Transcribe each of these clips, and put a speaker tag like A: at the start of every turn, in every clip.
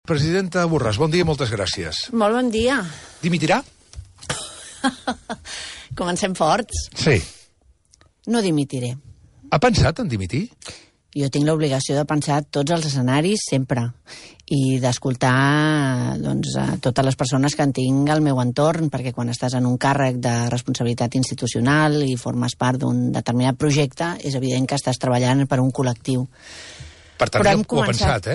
A: Presidenta Borràs, bon dia i moltes gràcies.
B: Molt bon dia.
A: Dimitirà?
B: Comencem forts.
A: Sí.
B: No dimitiré.
A: Ha pensat en dimitir?
B: Jo tinc l'obligació de pensar tots els escenaris sempre i d'escoltar a totes les persones que en tinc al meu entorn, perquè quan estàs en un càrrec de responsabilitat institucional i formes part d'un determinat projecte, és evident que estàs treballant per un col·lectiu.
A: Per tant, ho ha pensat,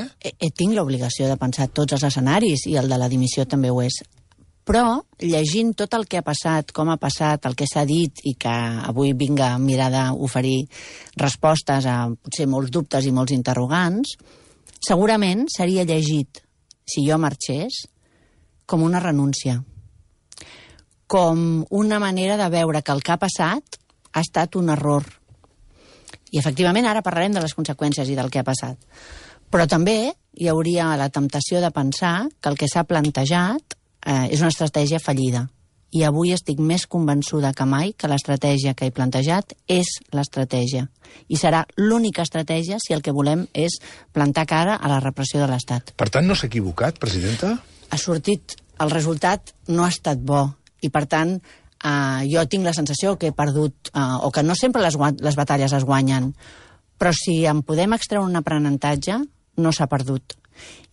B: Tinc l'obligació de pensar tots els escenaris i el de la dimissió també ho és. Però, llegint tot el que ha passat, com ha passat, el que s'ha dit i que avui vinc a mirar d'oferir respostes a potser molts dubtes i molts interrogants, segurament seria llegit, si jo marxés, com una renúncia. Com una manera de veure que el que ha passat ha estat un error. I, efectivament, ara parlarem de les conseqüències i del que ha passat. Però també hi hauria la temptació de pensar que el que s'ha plantejat és una estratègia fallida. I avui estic més convençuda que mai que l'estratègia que he plantejat és l'estratègia. I serà l'única estratègia si el que volem és plantar cara a la repressió de l'Estat.
A: Per tant, no s'ha equivocat, presidenta?
B: Ha sortit, el resultat no ha estat bo. I, per tant, jo tinc la sensació que he perdut, o que no sempre les batalles es guanyen, però si en podem extreure un aprenentatge, no s'ha perdut.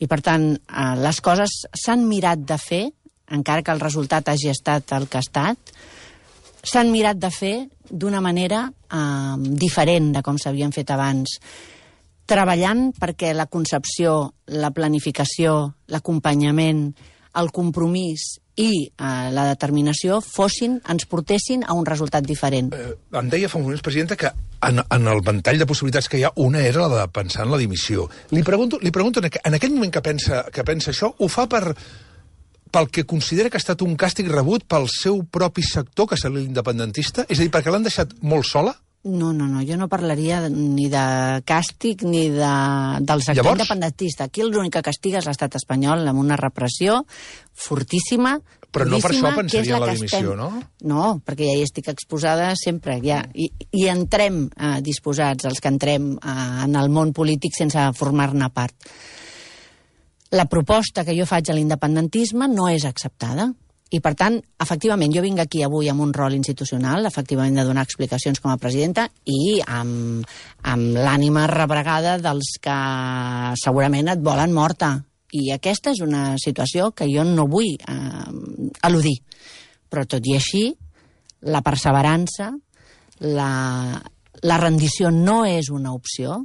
B: I, per tant, les coses s'han mirat de fer, encara que el resultat hagi estat el que ha estat, s'han mirat de fer d'una manera diferent de com s'havien fet abans, treballant perquè la concepció, la planificació, l'acompanyament, el compromís i la determinació ens portessin a un resultat diferent.
A: Em deia fa un moment, presidenta, que en el ventall de possibilitats que hi ha, una era la de pensar en la dimissió. Li pregunto en aquell moment que pensa això, ho fa pel que considera que ha estat un càstig rebut pel seu propi sector, que és l'independentista? És a dir, perquè l'han deixat molt sola?
B: No, jo no parlaria ni de càstig ni del sector independentista. Aquí l'únic que castiga és l'estat espanyol amb una repressió fortíssima.
A: Però no per això pensaria en la dimissió, no?
B: No, perquè ja hi estic exposada sempre. I entrem disposats, els que entrem en el món polític sense formar-ne part. La proposta que jo faig a l'independentisme no és acceptada. I, per tant, efectivament, jo vinc aquí avui amb un rol institucional, efectivament, de donar explicacions com a presidenta i amb l'ànima rebregada dels que segurament et volen morta. I aquesta és una situació que jo no vull eludir. Però, tot i així, la perseverança, la rendició no és una opció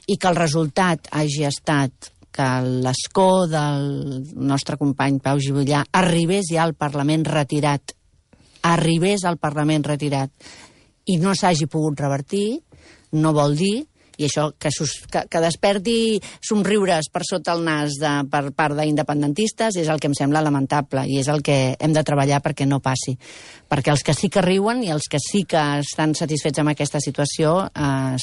B: i que el resultat hagi estat que l'escó del nostre company Pau Juvillà arribés ja al Parlament retirat, i no s'hagi pogut revertir, no vol dir, i això que desperti somriures per sota el nas per part d'independentistes és el que em sembla lamentable i és el que hem de treballar perquè no passi. Perquè els que sí que riuen i els que sí que estan satisfets amb aquesta situació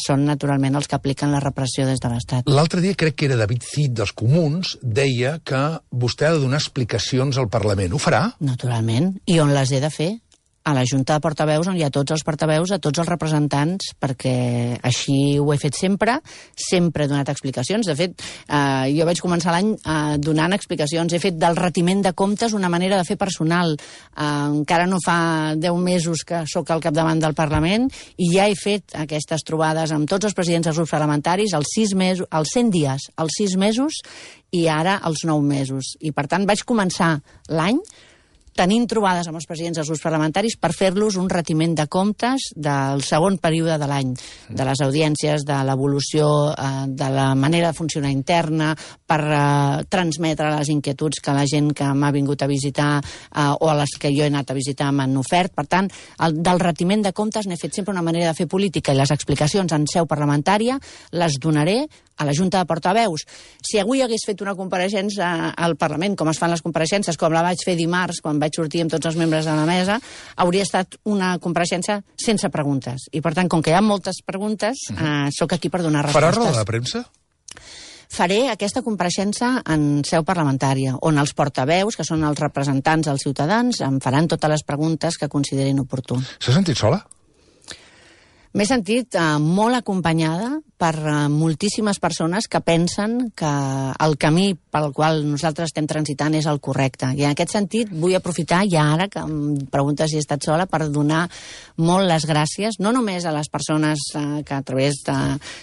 B: són naturalment els que apliquen la repressió des de l'Estat.
A: L'altre dia crec que era David Cid dels Comuns, deia que vostè ha de donar explicacions al Parlament. Ho farà?
B: Naturalment. I on les he de fer? A la Junta de Portaveus, on hi ha tots els portaveus, a tots els representants, perquè així ho he fet sempre he donat explicacions. De fet, jo vaig començar l'any donant explicacions. He fet del retiment de comptes una manera de fer personal. Encara no fa 10 mesos que sóc al capdavant del Parlament i ja he fet aquestes trobades amb tots els presidents dels grups parlamentaris als 100 dies, als 6 mesos i ara als 9 mesos. I, per tant, vaig començar l'any tenint trobades amb els presidents dels grups parlamentaris per fer-los un retiment de comptes del segon període de l'any, de les audiències, de l'evolució, de la manera de funcionar interna, per transmetre les inquietuds que la gent que m'ha vingut a visitar o a les que jo he anat a visitar m'han ofert. Per tant, del retiment de comptes n'he fet sempre una manera de fer política i les explicacions en seu parlamentària les donaré a la Junta de Portaveus. Si avui hagués fet una compareixença al Parlament, com es fan les compareixences, com la vaig fer dimarts, quan vaig sortir amb tots els membres de la mesa, hauria estat una compareixença sense preguntes. I, per tant, com que hi ha moltes preguntes, sóc aquí per donar respostes.
A: Farà roda de premsa?
B: Faré aquesta compareixença en seu parlamentària, on els portaveus, que són els representants dels ciutadans, em faran totes les preguntes que considerin oportú.
A: S'ha sentit sola?
B: M'he sentit molt acompanyada per moltíssimes persones que pensen que el camí pel qual nosaltres estem transitant és el correcte. I en aquest sentit vull aprofitar ja ara que em preguntes si he estat sola per donar molt les gràcies, no només a les persones que a través de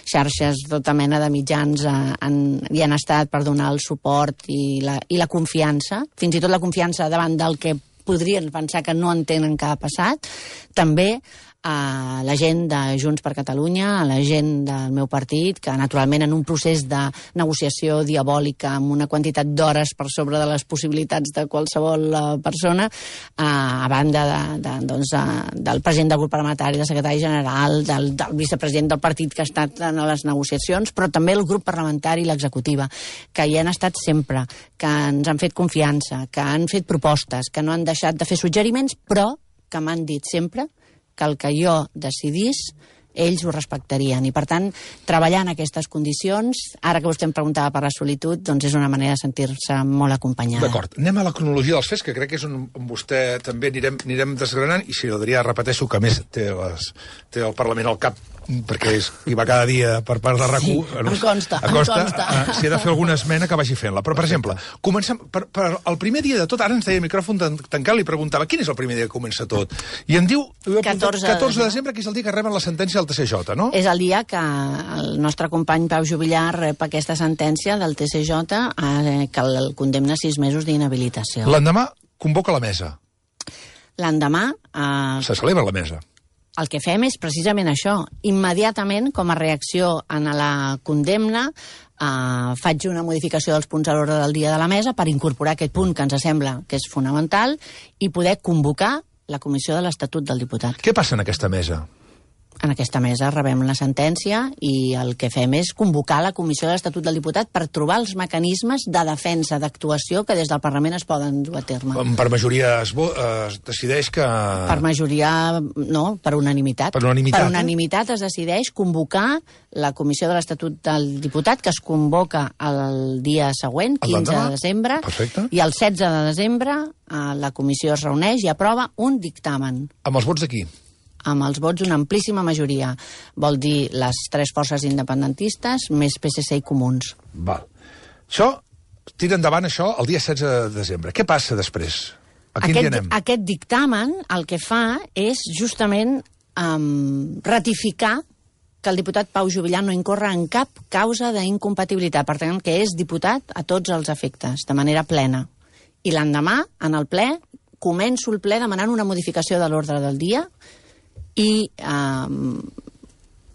B: xarxes, tota mena de mitjans hi han estat per donar el suport i la confiança, fins i tot la confiança davant del que podrien pensar que no entenen que ha passat, també a la gent de Junts per Catalunya, a la gent del meu partit, que naturalment en un procés de negociació diabòlica amb una quantitat d'hores per sobre de les possibilitats de qualsevol persona, a banda del president del grup parlamentari, del secretari general, del vicepresident del partit que ha estat en les negociacions, però també el grup parlamentari i l'executiva, que hi han estat sempre, que ens han fet confiança, que han fet propostes, que no han deixat de fer suggeriments, però que m'han dit sempre que el que jo decidís, ells ho respectarien. I, per tant, treballar en aquestes condicions, ara que vostè em preguntava per la solitud, doncs és una manera de sentir-se molt acompanyada.
A: D'acord. Anem a la cronologia dels fets, que crec que és on vostè també anirem desgranant, i si l'Adrià, repeteixo, que a més té el Parlament al cap, perquè hi va cada dia per part de RAC1.
B: Sí, em consta.
A: Si he de fer alguna esmena, que vagi fent-la. Però, per exemple, comencem per el primer dia de tot, ara ens deia el micròfon tancat, li preguntava quin és el primer dia que comença tot. I em diu 14 de desembre, que és el dia que reben la sentència del TCJ, no?
B: És el dia que el nostre company Pau Juvillà rep aquesta sentència del TCJ que el condemna a 6 mesos d'inhabilitació.
A: L'endemà convoca la mesa.
B: L'endemà
A: se celebra la mesa.
B: El que fem és precisament això. Immediatament, com a reacció a la condemna, faig una modificació dels punts a l'ordre del dia de la mesa per incorporar aquest punt que ens sembla que és fonamental i poder convocar la comissió de l'Estatut del Diputat.
A: Què passa en aquesta mesa?
B: En aquesta mesa rebem la sentència i el que fem és convocar la Comissió de l'Estatut del Diputat per trobar els mecanismes de defensa, d'actuació que des del Parlament es poden dur a terme.
A: Per majoria es decideix que...
B: Per majoria, no, per unanimitat.
A: Per unanimitat,
B: per unanimitat es decideix convocar la Comissió de l'Estatut del Diputat, que es convoca el dia següent, 15 de desembre,
A: perfecte.
B: I el 16 de desembre la comissió es reuneix i aprova un dictamen.
A: Amb els vots de qui?
B: Amb els vots d'una amplíssima majoria. Vol dir les 3 forces independentistes més PSC i Comuns.
A: Val. Això, tira endavant això el dia 16 de desembre. Què passa després? A quin dia anem?
B: Aquest dictamen el que fa és justament ratificar que el diputat Pau Juvillà no incorre en cap causa d'incompatibilitat. Per tant, que és diputat a tots els efectes, de manera plena. I l'endemà, en el ple, començo el ple demanant una modificació de l'ordre del dia i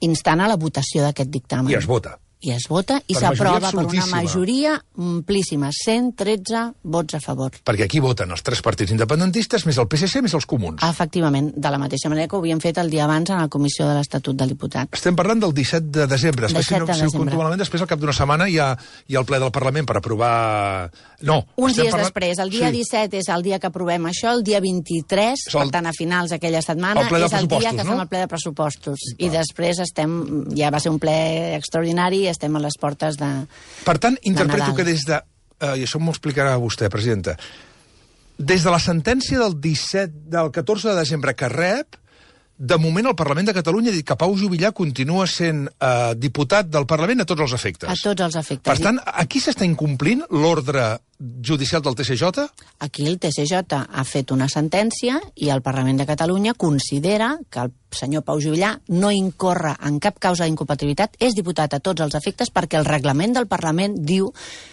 B: instant a la votació d'aquest dictamen.
A: I es vota.
B: I es vota i s'aprova per una majoria amplíssima, 113 vots a favor.
A: Perquè aquí voten els 3 partits independentistes, més el PSC, més els Comuns.
B: Efectivament, de la mateixa manera que ho havíem fet el dia abans en la Comissió de l'Estatut del Diputat.
A: Estem parlant del 17 de desembre. Puntualment, després, al cap d'una setmana, hi ha el ple del Parlament per aprovar... No.
B: Uns dies després. El dia 17 és el dia que aprovem això, el dia 23, per tant, a finals d'aquella setmana, és el dia que fem el ple de pressupostos. I després ja va ser un ple extraordinari, estem a les portes de
A: Per tant, interpreto
B: Nadal.
A: que des de... I això m'ho explicarà vostè, presidenta. Des de la sentència del 14 de desembre que rep, de moment el Parlament de Catalunya ha dit que Pau Juvillà continua sent diputat del Parlament a tots els efectes.
B: A tots els efectes.
A: Per tant, aquí s'està incomplint l'ordre judicial del TCJ?
B: Aquí el TCJ ha fet una sentència i el Parlament de Catalunya considera que el senyor Pau Juvillà no incorre en cap causa d'incompatibilitat, és diputat a tots els efectes perquè el reglament del Parlament diu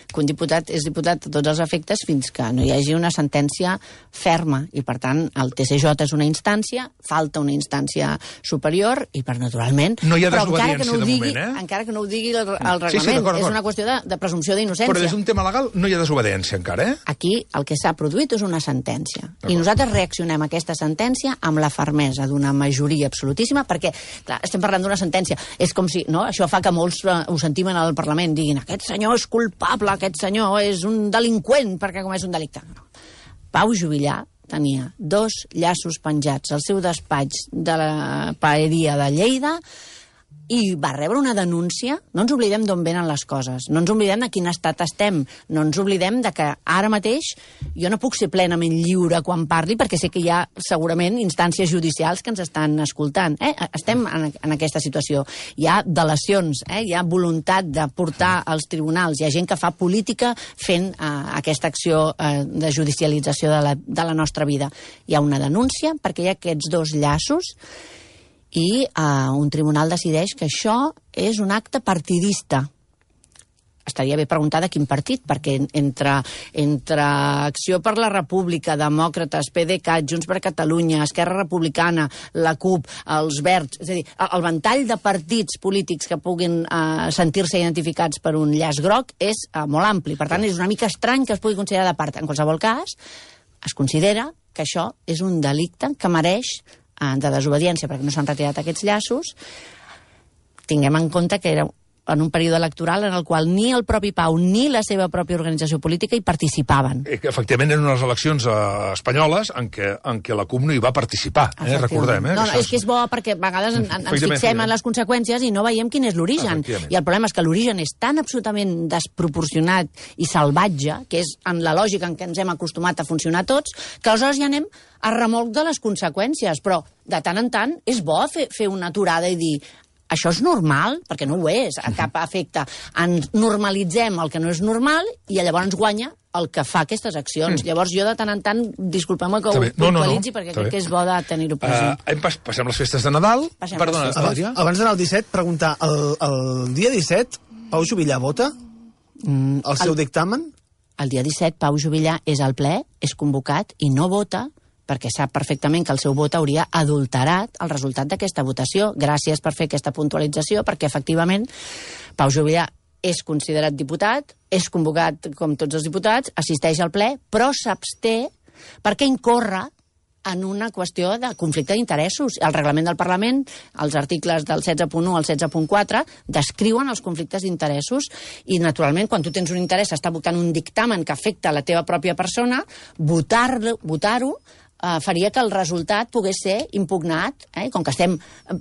B: que un diputat és diputat a tots els efectes fins que no hi hagi una sentència ferma i, per tant, el TCJ és una instància, falta una instància superior i, per naturalment...
A: No hi ha desobediència de moment,
B: encara que no ho digui el reglament, és una qüestió de presumpció d'innocència.
A: Però des d'un tema legal no hi ha desobediència encara,
B: Aquí el que s'ha produït és una sentència. I nosaltres reaccionem a aquesta sentència amb la fermesa d'una majoria absolutíssima, perquè, clar, estem parlant d'una sentència. És com si, no?, això fa que molts ho sentim en el Parlament, diguin, aquest senyor és culpable, aquest senyor és un delinqüent perquè comès un delicte. No. Pau Juvillà tenia 2 llaços penjats al seu despatx de la paeria de Lleida i va rebre una denúncia. No ens oblidem d'on venen les coses, no ens oblidem de quin estat estem, no ens oblidem de que ara mateix jo no puc ser plenament lliure quan parli, perquè sé que hi ha segurament instàncies judicials que ens estan escoltant. Estem en aquesta situació. Hi ha delacions, hi ha voluntat de portar als tribunals, hi ha gent que fa política fent aquesta acció de judicialització de la nostra vida. Hi ha una denúncia perquè hi ha aquests dos llaços i un tribunal decideix que això és un acte partidista. Estaria bé preguntar de quin partit, perquè entre Acció per la República, Demòcrates, PDeCAT, Junts per Catalunya, Esquerra Republicana, la CUP, els Verds, és a dir, el ventall de partits polítics que puguin sentir-se identificats per un llaç groc és molt ampli. Per tant, és una mica estrany que es pugui considerar de part. En qualsevol cas, es considera que això és un delicte que mereix de desobediència, perquè no s'han retirat aquests llaços. Tinguem en compte que era en un període electoral en el qual ni el propi Pau ni la seva pròpia organització política hi participaven.
A: Efectivament, eren unes eleccions espanyoles en què la CUP no hi va participar, recordem.
B: No, és que és bo perquè a vegades ens fixem en les conseqüències i no veiem quin és l'origen. I el problema és que l'origen és tan absolutament desproporcionat i salvatge, que és en la lògica en què ens hem acostumat a funcionar tots, que aleshores ja anem a remolc de les conseqüències. Però de tant en tant és bo fer una aturada i dir això és normal, perquè no ho és, a cap efecte. Ens normalitzem el que no és normal i llavors guanya el que fa aquestes accions. Llavors jo de tant en tant, disculpeu-me que ho puntualitzi, perquè crec que és bo de tenir-ho present.
A: Passem les festes de Nadal. Perdona,
C: abans d'anar al 17, preguntar, el dia 17 Pau Juvillà vota el seu dictamen?
B: El dia 17 Pau Juvillà és al ple, és convocat i no vota, perquè sap perfectament que el seu vot hauria adulterat el resultat d'aquesta votació. Gràcies per fer aquesta puntualització, perquè efectivament Pau Juvillà és considerat diputat, és convocat com tots els diputats, assisteix al ple, però s'absté perquè incorre en una qüestió de conflicte d'interessos. El reglament del Parlament, els articles del 16.1 al 16.4, descriuen els conflictes d'interessos i, naturalment, quan tu tens un interès, està votant un dictamen que afecta la teva pròpia persona, votar-ho faria que el resultat pogués ser impugnat, com que estem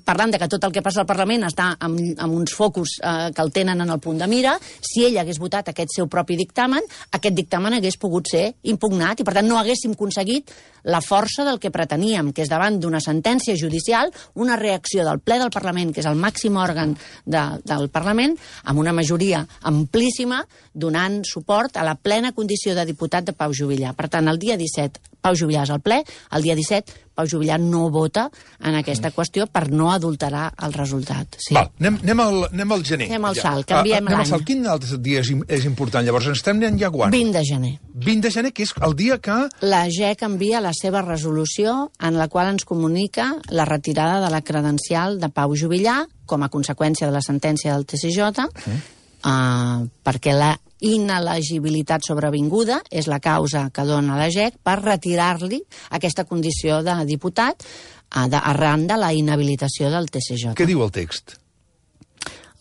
B: parlant de que tot el que passa al Parlament està amb uns focus que el tenen en el punt de mira, si ell hagués votat aquest seu propi dictamen, aquest dictamen hagués pogut ser impugnat i, per tant, no haguéssim aconseguit la força del que preteníem, que és davant d'una sentència judicial, una reacció del ple del Parlament, que és el màxim òrgan del Parlament, amb una majoria amplíssima, donant suport a la plena condició de diputat de Pau Juvillà. Per tant, el dia 17 Pau Juvillà és al ple, el dia 17 Pau Juvillà no vota en aquesta qüestió per no adulterar el resultat. Sí.
A: Val, anem al gener.
B: Anem al salt, canviem l'any.
A: Anem al salt. Quin altre dia és important? Llavors, ens estem anant ja quan?
B: 20 de gener.
A: 20 de gener, que és el dia que...
B: La GEC envia la seva resolució en la qual ens comunica la retirada de la credencial de Pau Juvillà com a conseqüència de la sentència del TSJ, perquè la inelegibilitat sobrevinguda és la causa que dona la GEC per retirar-li aquesta condició de diputat arran de la inhabilitació del TSJ.
A: Què diu el text?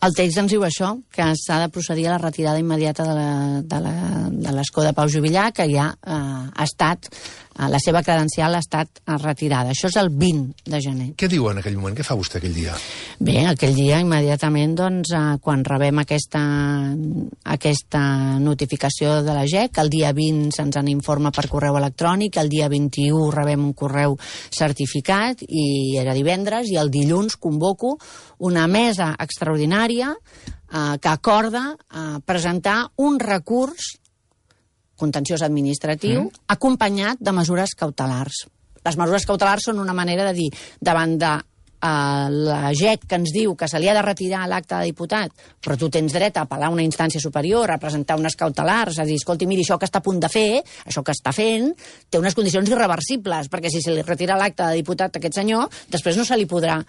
B: El text ens diu això, que s'ha de procedir a la retirada immediata de l'escó de Pau Juvillà, que ja ha estat, la seva credencial ha estat retirada. Això és el 20 de gener.
A: Què diu en aquell moment? Què fa vostè aquell dia?
B: Bé, aquell dia, immediatament, doncs, quan rebem aquesta notificació de la GEC, el dia 20 se'ns en informa per correu electrònic, el dia 21 rebem un correu certificat, i era divendres, i el dilluns convoco una mesa extraordinària que acorda presentar un recurs contenciós administratiu acompanyat de mesures cautelars. Les mesures cautelars són una manera de dir, davant de la GEC que ens diu que se li ha de retirar l'acte de diputat, però tu tens dret a apel·lar a una instància superior, a presentar unes cautelars, a dir, escolti, miri, això que està a punt de fer, això que està fent, té unes condicions irreversibles, perquè si se li retira l'acte de diputat a aquest senyor, després no se li podrà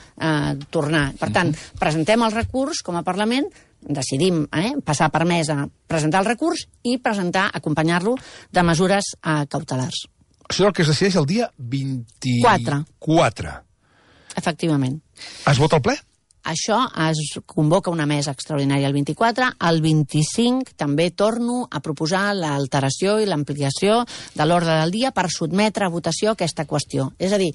B: tornar. Per tant, presentem el recurs com a Parlament, decidim passar per mesa, presentar el recurs i acompanyar-lo de mesures cautelars.
A: Això és el que es decideix el dia 24.
B: Efectivament.
A: Es vota al ple?
B: Això es convoca una mesa extraordinària el 24. El 25 també torno a proposar l'alteració i l'ampliació de l'ordre del dia per sotmetre a votació aquesta qüestió. És a dir,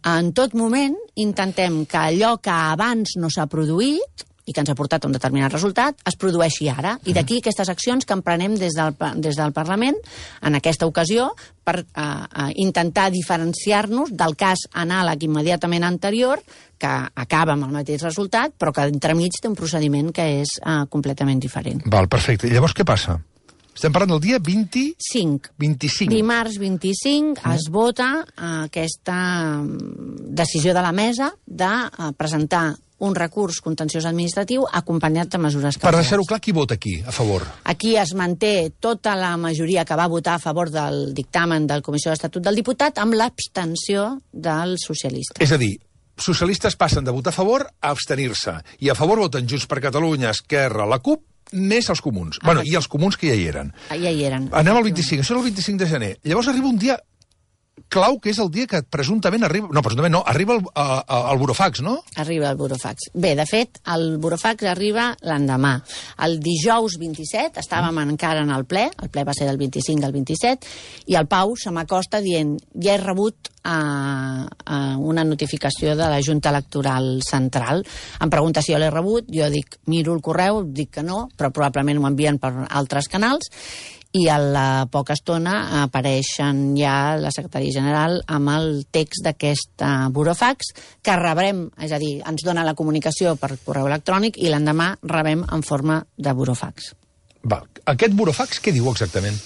B: En tot moment intentem que allò que abans no s'ha produït i que ens ha portat a un determinat resultat, es produeixi ara. I d'aquí aquestes accions que emprenem des del Parlament, en aquesta ocasió, per intentar diferenciar-nos del cas anàleg immediatament anterior, que acaba amb el mateix resultat, però que entremig té un procediment que és completament diferent.
A: Val, perfecte. I llavors què passa? Estem parlant del dia 25.
B: Dimarts 25 es vota aquesta decisió de la mesa de presentar un recurs contenciós administratiu acompanyat de mesures cautelars.
A: Per deixar-ho clar, qui vota aquí, a favor?
B: Aquí es manté tota la majoria que va votar a favor del dictamen de la Comissió d'Estatut del Diputat amb l'abstenció dels socialistes.
A: És a dir, socialistes passen de votar a favor a abstenir-se. I a favor voten Junts per Catalunya, Esquerra, la CUP, més els comuns. Bueno, i els comuns que ja hi eren.
B: Ja hi eren.
A: Anem al 25, això és el 25 de gener. Llavors arriba un dia clau, que és el dia que presumptament arriba... No, presumptament no, arriba el burofax, no?
B: Arriba el burofax. Bé, de fet, el burofax arriba l'endemà. El dijous 27 estàvem encara en el ple va ser del 25 al 27, i el Pau se m'acosta dient: ja he rebut una notificació de la Junta Electoral Central. Em pregunta si jo l'he rebut, jo dic, miro el correu, dic que no, però probablement ho envien per altres canals, i a la poca estona apareixen ja la secretària general amb el text d'aquest burofax que rebrem, és a dir, ens dona la comunicació per correu electrònic i l'endemà rebem en forma de burofax.
A: Va, aquest burofax què diu exactament?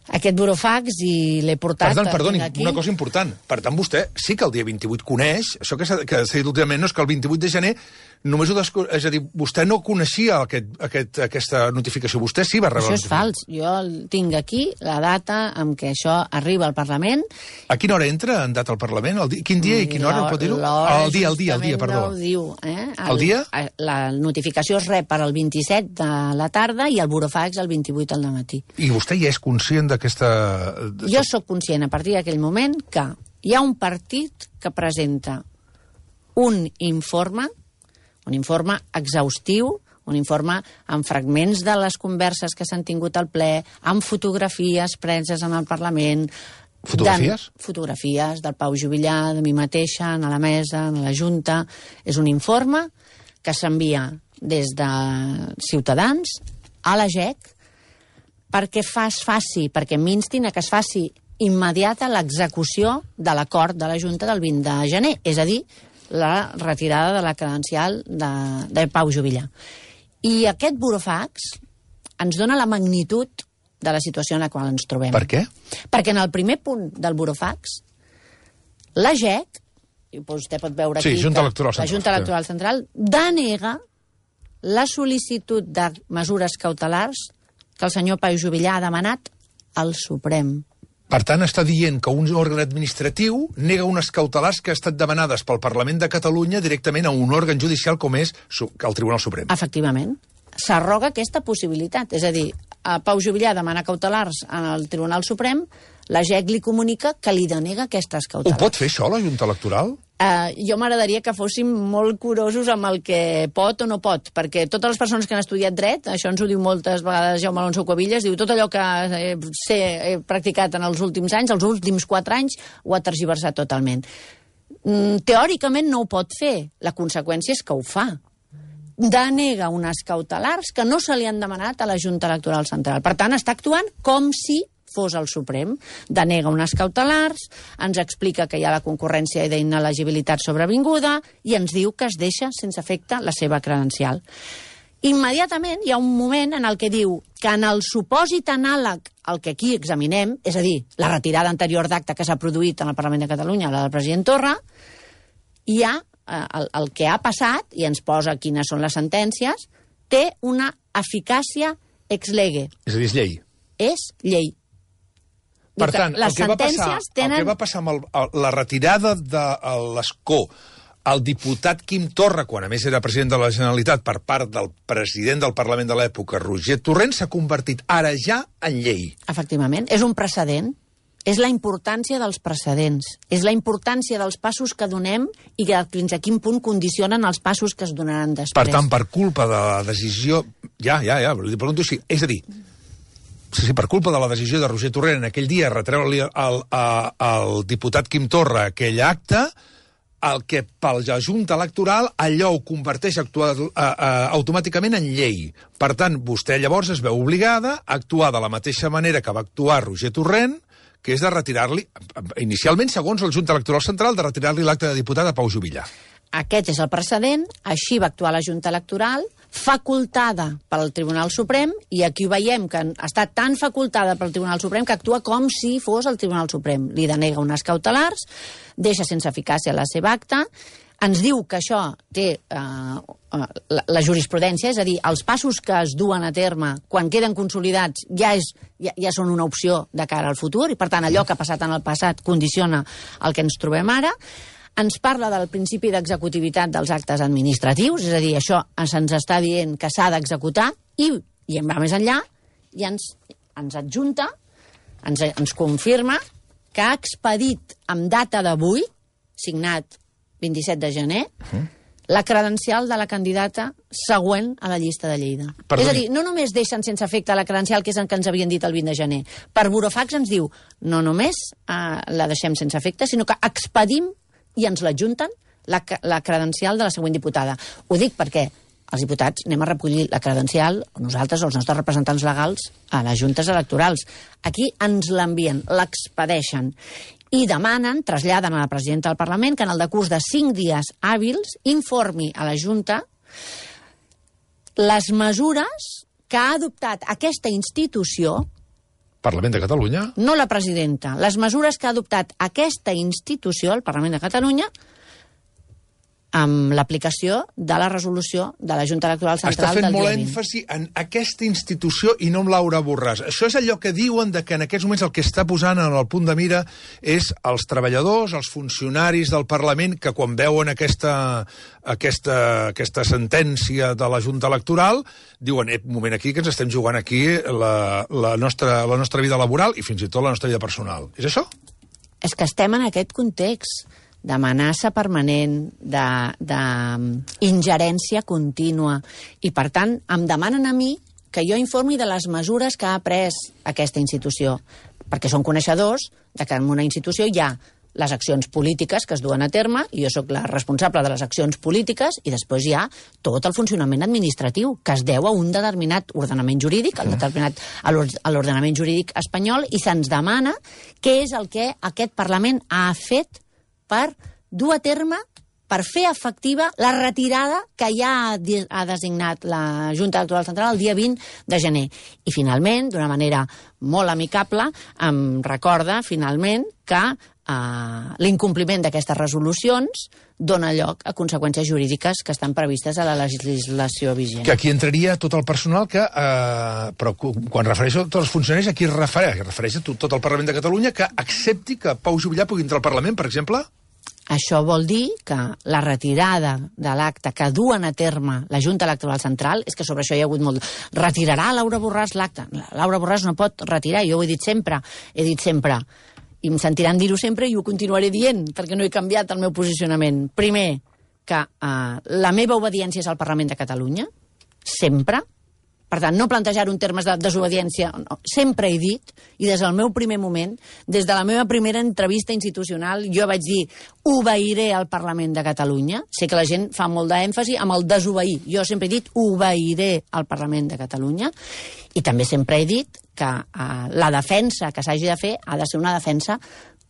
B: Aquest burofax, i l'he portat...
A: Perdoni, una cosa important. Per tant, vostè sí que el dia 28 coneix, això que s'ha dit últimament no és que el 28 de gener només és a dir, vostè no coneixia aquesta notificació, vostè sí va rebre...
B: Això és fals. Jo tinc aquí la data en què això arriba al Parlament.
A: A quina hora entra en data al Parlament? Quin dia i quina hora, pot dir-ho? El dia, perdó.
B: No ho diu.
A: El dia?
B: La notificació es rep per al 27 de la tarda i el burofax el 28 al matí.
A: I vostè ja és conscient d'aquesta...
B: Jo sóc conscient a partir d'aquell moment que hi ha un partit que presenta un informe exhaustiu, un informe amb fragments de les converses que s'han tingut al ple, amb fotografies preses en el Parlament.
A: Fotografies?
B: Fotografies del Pau Juvillà, de mi mateixa, a la mesa, a la Junta. És un informe que s'envia des de Ciutadans a la GEC perquè m'instin a que es faci immediata l'execució de l'acord de la Junta del 20 de gener, és a dir, la retirada de la credencial de Pau Juvillà. I aquest burofax ens dona la magnitud de la situació en la qual ens trobem.
A: Per què?
B: Perquè en el primer punt del burofax, la GEC, i vostè pot veure aquí,
A: Junta Electoral Central,
B: la Junta Electoral Central denega la sol·licitud de mesures cautelars que el senyor Pau Juvillà ha demanat al Suprem.
A: Per tant, està dient que un òrgan administratiu nega unes cautelars que han estat demanades pel Parlament de Catalunya directament a un òrgan judicial com és el Tribunal Suprem.
B: Efectivament. S'arroga aquesta possibilitat. És a dir, Pau Juvillà demana cautelars al Tribunal Suprem, la GEC li comunica que li denega aquestes cautelars.
A: Ho pot fer això, la Junta Electoral?
B: Jo m'agradaria que fóssim molt curosos amb el que pot o no pot, perquè totes les persones que han estudiat dret, això ens ho diu moltes vegades Jaume Alonso Cuevillas, diu tot allò que he practicat en els últims anys, els últims 4 anys, ho ha tergiversat totalment. Teòricament no ho pot fer, la conseqüència és que ho fa. Denega unes cautelars que no se li han demanat a la Junta Electoral Central. Per tant, està actuant com si fos el Suprem. Denega unes cautelars, ens explica que hi ha la concurrència i d'inelegibilitat sobrevinguda i ens diu que es deixa sense efecte la seva credencial. Immediatament hi ha un moment en el que diu que en el supòsit anàleg al que aquí examinem, és a dir, la retirada anterior d'acte que s'ha produït en el Parlament de Catalunya, la del president Torra, hi ha el que ha passat, i ens posa quines són les sentències, té una eficàcia ex lege.
A: És a dir, és llei.
B: És llei.
A: Per tant, el que va passar amb la retirada de l'escó al diputat Quim Torra, quan a més era president de la Generalitat, per part del president del Parlament de l'època, Roger Torrent, s'ha convertit ara ja en llei.
B: Efectivament, és un precedent. És la importància dels precedents. És la importància dels passos que donem i que fins a quin punt condicionen els passos que es donaran després.
A: Per tant, per culpa de la decisió... Ja, li pregunto així. És a dir, per culpa de la decisió de Roger Torrent en aquell dia retreure-li al diputat Quim Torra aquell acte, el que per la Junta Electoral allò ho converteix automàticament en llei. Per tant, vostè llavors es veu obligada a actuar de la mateixa manera que va actuar Roger Torrent, que és de retirar-li, inicialment, segons la Junta Electoral Central, de retirar-li l'acte de diputat a Pau Juvillà.
B: Aquest és el precedent, així va actuar la Junta Electoral, facultada pel Tribunal Suprem, i aquí ho veiem que està tan facultada pel Tribunal Suprem que actua com si fos el Tribunal Suprem. Li denega unes cautelars, deixa sense eficàcia la seva acta, ens diu que això té la jurisprudència, és a dir, els passos que es duen a terme quan queden consolidats ja són una opció de cara al futur, i per tant allò que ha passat en el passat condiciona el que ens trobem ara. Ens parla del principi d'executivitat dels actes administratius, és a dir, això se'ns està dient que s'ha d'executar, i en va més enllà, i ens adjunta, ens confirma que ha expedit amb data d'avui, signat 27 de gener, la credencial de la candidata següent a la llista de Lleida.
A: Perdoni.
B: És a dir, no només deixen sense efecte la credencial, que és el que ens havien dit el 20 de gener. Per burofax ens diu, no només la deixem sense efecte, sinó que expedim i ens l'adjunten la credencial de la següent diputada. Ho dic perquè els diputats anem a recollir la credencial, nosaltres o els nostres representants legals, a les juntes electorals. Aquí ens l'envien, l'expedeixen i demanen, traslladen a la presidenta del Parlament, que en el decurs de 5 dies hàbils informi a la Junta les mesures que ha adoptat aquesta institució,
A: Parlament de Catalunya?
B: no la presidenta, les mesures que ha adoptat aquesta institució, el Parlament de Catalunya, amb l'aplicació de la resolució de la Junta Electoral Central del dia 20.
A: Està fent molt èmfasi en aquesta institució i no en Laura Borràs. Això és allò que diuen de que en aquests moments el que està posant en el punt de mira és els treballadors, els funcionaris del Parlament, que quan veuen aquesta sentència de la Junta Electoral diuen, un moment aquí, que ens estem jugant aquí la nostra vida laboral i fins i tot la nostra vida personal. És això?
B: És que estem en aquest context d'amenaça permanent, d'ingerència contínua, i per tant em demanen a mi que jo informi de les mesures que ha pres aquesta institució, perquè són coneixedors de que en una institució hi ha les accions polítiques que es duen a terme, i jo sóc la responsable de les accions polítiques, i després hi ha tot el funcionament administratiu, que es deu a un determinat ordenament jurídic, a l'ordenament jurídic espanyol, i se'ns demana què és el que aquest Parlament ha fet per dur a terme, per fer efectiva la retirada que ja ha designat la Junta Electoral Central el dia 20 de gener. I finalment, d'una manera molt amicable, em recorda finalment que l'incompliment d'aquestes resolucions dona lloc a conseqüències jurídiques que estan previstes a la legislació vigent.
A: Que aquí entraria tot el personal que... però quan refereixo a tots els funcionaris, aquí es refereix a tot el Parlament de Catalunya que accepti que Pau Juvillà pugui entrar al Parlament, per exemple?
B: Això vol dir que la retirada de l'acte que duen a terme la Junta Electoral Central, és que sobre això hi ha hagut molt... Retirarà Laura Borràs l'acte? Laura Borràs no pot retirar, jo ho he dit sempre, i em sentiran dir-ho sempre i ho continuaré dient, perquè no he canviat el meu posicionament. Primer, que la meva obediència és al Parlament de Catalunya, sempre. Per tant, no plantejar-ho en termes de desobediència. No. Sempre he dit, i des del meu primer moment, des de la meva primera entrevista institucional, jo vaig dir, obeiré al Parlament de Catalunya. Sé que la gent fa molt d'èmfasi amb el desobeir. Jo sempre he dit, obeiré al Parlament de Catalunya. I també sempre he dit que la defensa que s'hagi de fer ha de ser una defensa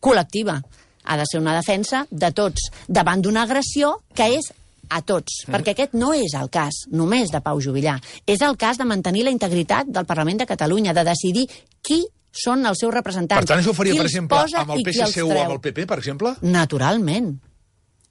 B: col·lectiva. Ha de ser una defensa de tots, davant d'una agressió que és a tots, perquè aquest no és el cas només de Pau Juvillà, és el cas de mantenir la integritat del Parlament de Catalunya, de decidir qui són els seus representants.
A: Per tant, això ho faria, per exemple, amb el PSC o amb el PP, per exemple?
B: Naturalment.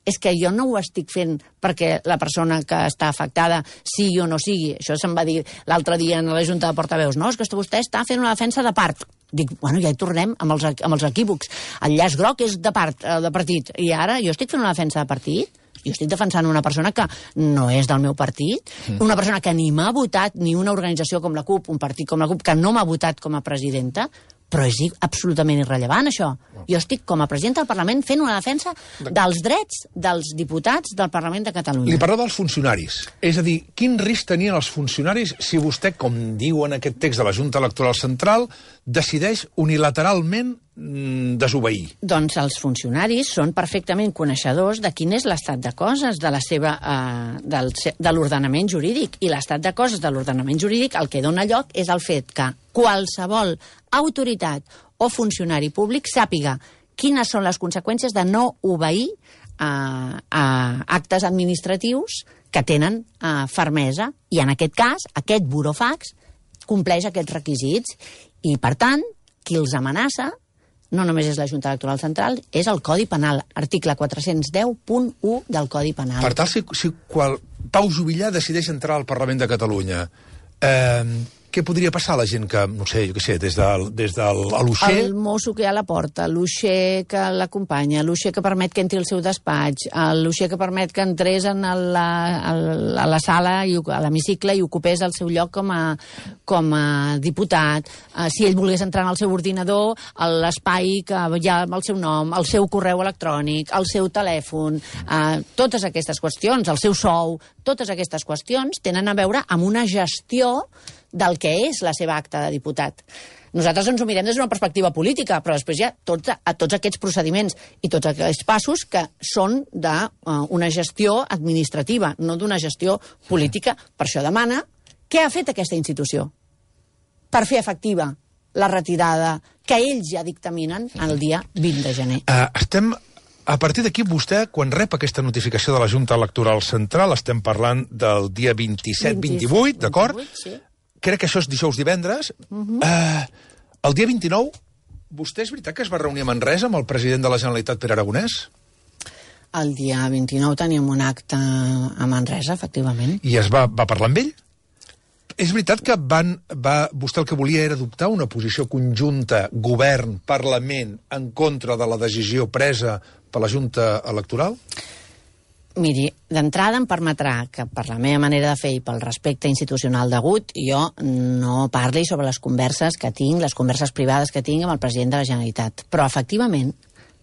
B: És que jo no ho estic fent perquè la persona que està afectada sigui o no sigui. Això se'm va dir l'altre dia en la Junta de Portaveus. No, és que vostè està fent una defensa de part. Dic, bueno, ja hi tornem amb els equívocs. El llaç groc és de part, de partit. I ara jo estic fent una defensa de partit? Jo estic defensant una persona que no és del meu partit, una persona que ni m'ha votat ni una organització com la CUP, un partit com la CUP, que no m'ha votat com a presidenta, però és absolutament irrellevant, això. Jo estic, com a presidenta del Parlament, fent una defensa dels drets dels diputats del Parlament de Catalunya.
A: Li parla dels funcionaris. És a dir, quin risc tenien els funcionaris si vostè, com diu en aquest text de la Junta Electoral Central, decideix unilateralment desobeir?
B: Doncs els funcionaris són perfectament coneixedors de quin és l'estat de coses de l'ordenament jurídic. I l'estat de coses de l'ordenament jurídic el que dona lloc és el fet que qualsevol autoritat o funcionari públic sàpiga quines són les conseqüències de no obeir a actes administratius que tenen fermesa. I en aquest cas, aquest burofax compleix aquests requisits. I, per tant, qui els amenaça no només és la Junta Electoral Central, és el Codi Penal, article 410.1 del Codi Penal.
A: Per tal, si Pau Juvillà decideix entrar al Parlament de Catalunya, què podria passar a la gent que, no sé, jo què sé, des de l'uixer...
B: El mosso que hi ha a la porta, l'uixer que l'acompanya, l'uixer que permet que entri al seu despatx, l'uixer que permet que entrés a la sala, a l'hemicicle, i ocupés el seu lloc com a diputat. Si ell volgués entrar en el seu ordinador, l'espai que hi ha amb el seu nom, el seu correu electrònic, el seu telèfon, totes aquestes qüestions, el seu sou, totes aquestes qüestions tenen a veure amb una gestió del que és la seva acta de diputat. Nosaltres ens ho mirem des d'una perspectiva política, però després hi ha tots aquests procediments i tots aquests passos que són d'una gestió administrativa, no d'una gestió política. Per això demana què ha fet aquesta institució per fer efectiva la retirada que ells ja dictaminen el dia 20 de gener.
A: A partir d'aquí, vostè, quan rep aquesta notificació de la Junta Electoral Central, estem parlant del dia 27-28, d'acord?
B: Sí.
A: Crec que això és dijous-divendres. El dia 29, vostè és veritat que es va reunir a Manresa amb el president de la Generalitat, Pere Aragonès?
B: El dia 29 teníem un acte a Manresa, efectivament.
A: I es va parlar amb ell? És veritat que vostè el que volia era adoptar una posició conjunta, govern, Parlament, en contra de la decisió presa per la Junta Electoral?
B: Miri, d'entrada em permetrà que per la meva manera de fer i pel respecte institucional degut, jo no parli sobre les converses que tinc, les converses privades que tinc amb el president de la Generalitat. Però, efectivament,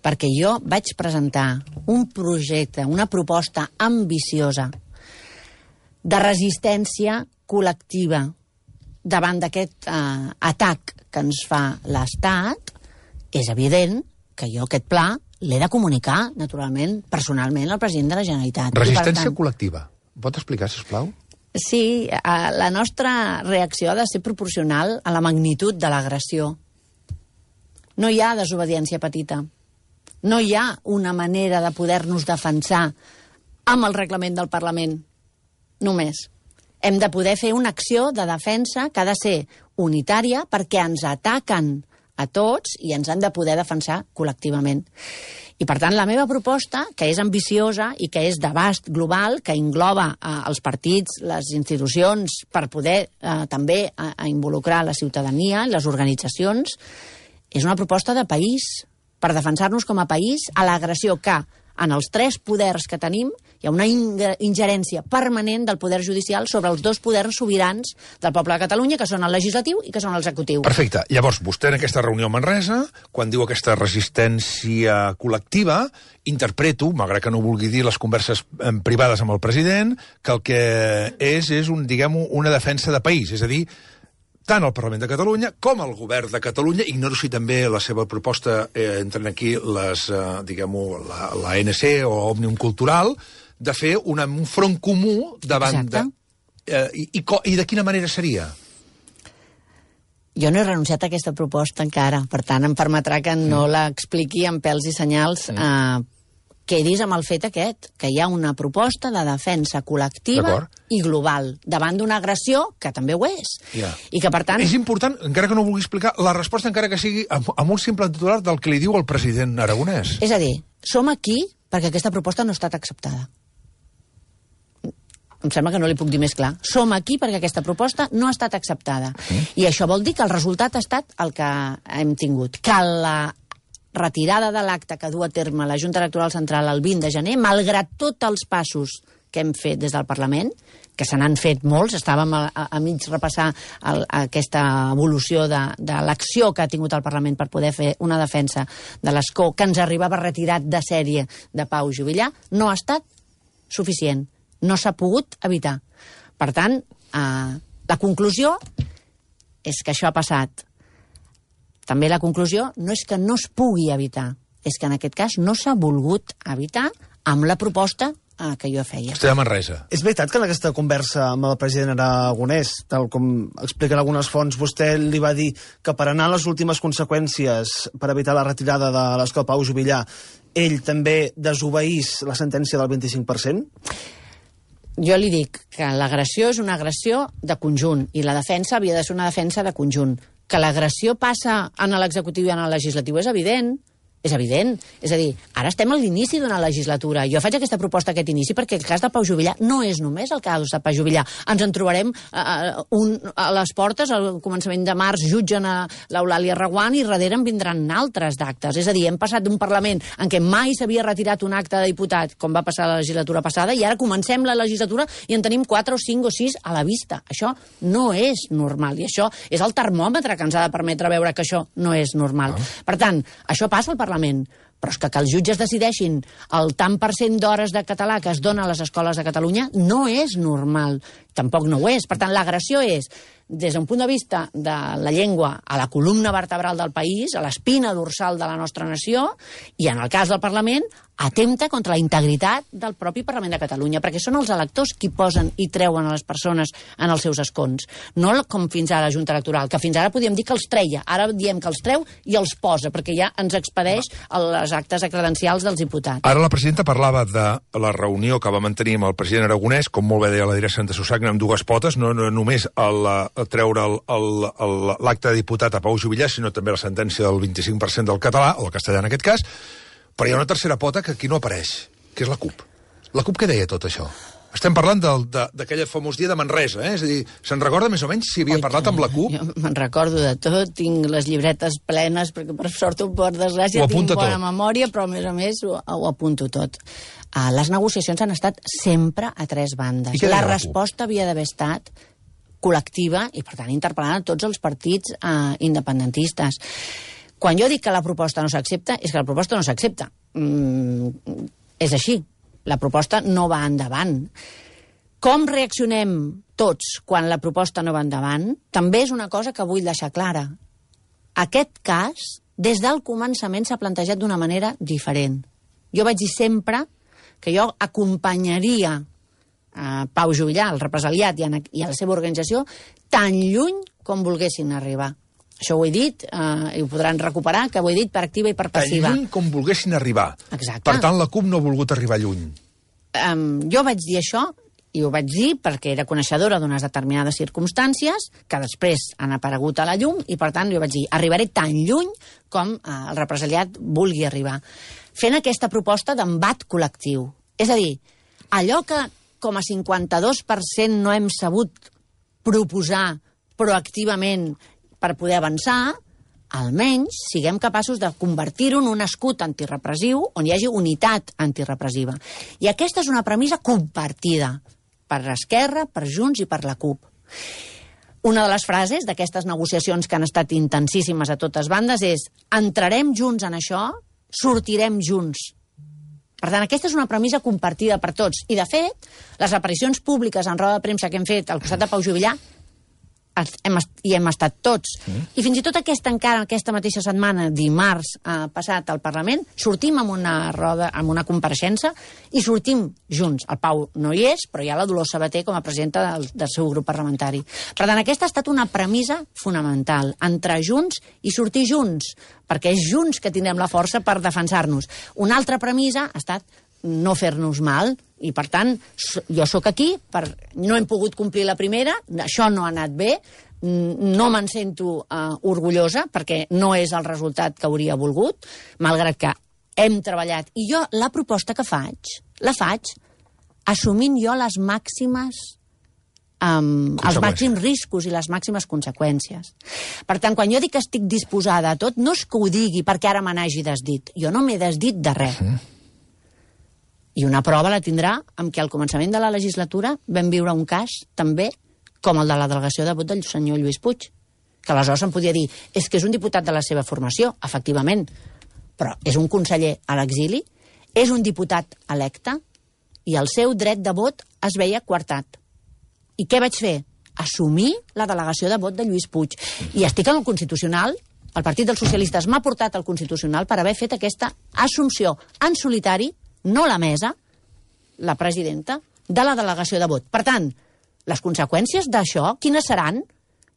B: perquè jo vaig presentar un projecte, una proposta ambiciosa de resistència col·lectiva davant d'aquest atac que ens fa l'Estat, és evident que jo aquest pla l'he de comunicar, naturalment, personalment al president de la Generalitat.
A: Resistència col·lectiva. Pot explicar, sisplau?
B: Sí, la nostra reacció ha de ser proporcional a la magnitud de l'agressió. No hi ha desobediència petita. No hi ha una manera de poder-nos defensar amb el reglament del Parlament. Només. Hem de poder fer una acció de defensa que ha de ser unitària perquè ens ataquen a tots i ens han de poder defensar col·lectivament. I, per tant, la meva proposta, que és ambiciosa i que és d'abast global, que engloba els partits, les institucions, per poder també involucrar la ciutadania, les organitzacions, és una proposta de país, per defensar-nos com a país a l'agressió que, en els tres poders que tenim, hi ha una ingerència permanent del poder judicial sobre els dos poders sobirans del poble de Catalunya, que són el legislatiu i que són l'executiu.
A: Perfecte. Llavors, vostè en aquesta reunió a Manresa, quan diu aquesta resistència col·lectiva, interpreto, malgrat que no vulgui dir les converses privades amb el president, que el que és una defensa de país, és a dir, tant el Parlament de Catalunya com el Govern de Catalunya, ignoro si també la seva proposta entren aquí la ANC o Òmnium Cultural, de fer un front comú davant de... I de quina manera seria?
B: Jo no he renunciat a aquesta proposta encara, per tant em permetrà que no l'expliqui amb pèls i senyals. Quedis amb el fet aquest, que hi ha una proposta de defensa col·lectiva i global, davant d'una agressió, que també ho és. I que, per tant...
A: És important, encara que no vulgui explicar, la resposta encara que sigui amb un simple titular del que li diu el president Aragonès.
B: És a dir, som aquí perquè aquesta proposta no ha estat acceptada. Em sembla que no li puc dir més clar. Som aquí perquè aquesta proposta no ha estat acceptada. I això vol dir que el resultat ha estat el que hem tingut. Que la retirada de l'acte que du a terme la Junta Electoral Central el 20 de gener, malgrat tots els passos que hem fet des del Parlament, que se n'han fet molts, estàvem a mig repassar aquesta evolució de l'acció que ha tingut el Parlament per poder fer una defensa de l'escó que ens arribava retirat de sèrie de Pau Juvillà, no ha estat suficient. No s'ha pogut evitar. Per tant, la conclusió és que això ha passat també la conclusió no és que no es pugui evitar, és que en aquest cas no s'ha volgut evitar amb la proposta que jo feia.
A: Vostè de Manresa.
C: És veritat que en aquesta conversa amb el president Aragonès, tal com expliquen algunes fonts, vostè li va dir que per anar a les últimes conseqüències per evitar la retirada de l'escola Pau Juvillà, ell també desobeís la sentència del 25%?
B: Jo li dic que l'agressió és una agressió de conjunt i la defensa havia de ser una defensa de conjunt. Que l'agressió passa en l'executiu i en el legislatiu és evident. És evident. És a dir, ara estem a l'inici d'una legislatura. Jo faig aquesta proposta, aquest inici, perquè el cas de Pau Juvillà no és només el cas de Pau Juvillà. Ens en trobarem a les portes, al començament de març, jutgen a l'Eulàlia Reguant i darrere en vindran altres d'actes. És a dir, hem passat d'un Parlament en què mai s'havia retirat un acte de diputat, com va passar la legislatura passada, i ara comencem la legislatura i en tenim 4 o 5 o 6 a la vista. Això no és normal, i això és el termòmetre que ens ha de permetre veure que això no és normal. Per tant, això passa al Parlament, però és que els jutges decideixin el tant per cent d'hores de català que es dona a les escoles de Catalunya no és normal, tampoc no ho és. Per tant, l'agressió és, des d'un punt de vista de la llengua, a la columna vertebral del país, a l'espina dorsal de la nostra nació, i en el cas del Parlament, atempta contra la integritat del propi Parlament de Catalunya, perquè són els electors qui posen i treuen a les persones en els seus escons. No com fins ara la Junta Electoral, que fins ara podíem dir que els treia. Ara diem que els treu i els posa, perquè ja ens expedeix les actes credencials dels diputats.
A: Ara la presidenta parlava de la reunió que va mantenir amb el president Aragonès, com molt bé deia la direcció de Susagna, amb dues potes, no només treure l'acte de diputat a Pau Juvillà, sinó també la sentència del 25% del català, o del castellà en aquest cas, però hi ha una tercera pota que aquí no apareix, que és la CUP. La CUP què deia tot això? Estem parlant d'aquell famós dia de Manresa, És a dir, se'n recorda més o menys si havia parlat amb la CUP?
B: Jo me'n recordo de tot, tinc les llibretes plenes, perquè per sort o per desgràcia tinc bona memòria, però a més ho apunto tot. Les negociacions han estat sempre a 3 bandes. La resposta havia d'haver estat col·lectiva i, per tant, interpel·lant a tots els partits independentistes. Quan jo dic que la proposta no s'accepta, és que la proposta no s'accepta. És així. La proposta no va endavant. Com reaccionem tots quan la proposta no va endavant? També és una cosa que vull deixar clara. Aquest cas, des del començament, s'ha plantejat d'una manera diferent. Jo vaig dir sempre que jo acompanyaria Pau Juvillà, el represaliat, i a la seva organització, tan lluny com volguessin arribar. Això ho he dit, i ho podran recuperar, que ho he dit per activa i per passiva.
A: Tan lluny com volguessin arribar.
B: Exacte.
A: Per tant, la CUP no ha volgut arribar lluny.
B: Jo vaig dir això, i ho vaig dir perquè era coneixedora d'unes determinades circumstàncies que després han aparegut a la llum, i per tant jo vaig dir, arribaré tan lluny com el represaliat vulgui arribar. Fent aquesta proposta d'embat col·lectiu. És a dir, allò que com a 52% no hem sabut proposar proactivament per poder avançar, almenys siguem capaços de convertir-ho en un escut antirepressiu on hi hagi unitat antirepressiva. I aquesta és una premissa compartida per Esquerra, per Junts i per la CUP. Una de les frases d'aquestes negociacions que han estat intensíssimes a totes bandes és entrarem junts en això, sortirem junts. Per tant, aquesta és una premissa compartida per tots. I, de fet, les aparicions públiques en roda de premsa que hem fet al costat de Pau Juvillà hi hem estat tots. I fins i tot aquesta mateixa setmana, dimarts passat al Parlament, sortim amb una compareixença i sortim junts. El Pau no hi és, però hi ha la Dolors Sabater com a presidenta del seu grup parlamentari. Per tant, aquesta ha estat una premissa fonamental. Entrar junts i sortir junts, perquè és junts que tindrem la força per defensar-nos. Una altra premissa ha estat no fer-nos mal, i per tant jo sóc aquí, no hem pogut complir la primera, això no ha anat bé, no me'n sento orgullosa perquè no és el resultat que hauria volgut, malgrat que hem treballat. I jo la proposta que faig, la faig assumint jo les màximes els màxims riscos i les màximes conseqüències. Per tant, quan jo dic que estic disposada a tot, no és que ho digui perquè ara me n'hagi desdit. Jo no m'he desdit de res. I una prova la tindrà amb que al començament de la legislatura vam viure un cas també com el de la delegació de vot del senyor Lluís Puig, que aleshores se'n podia dir és que és un diputat de la seva formació, efectivament, però és un conseller a l'exili, és un diputat electe i el seu dret de vot es veia coartat. I què vaig fer? Assumir la delegació de vot de Lluís Puig. I estic en el Constitucional el Partit dels Socialistes m'ha portat al Constitucional per haver fet aquesta assumpció en solitari, no la mesa, la presidenta, de la delegació de vot. Per tant, les conseqüències d'això, quines seran?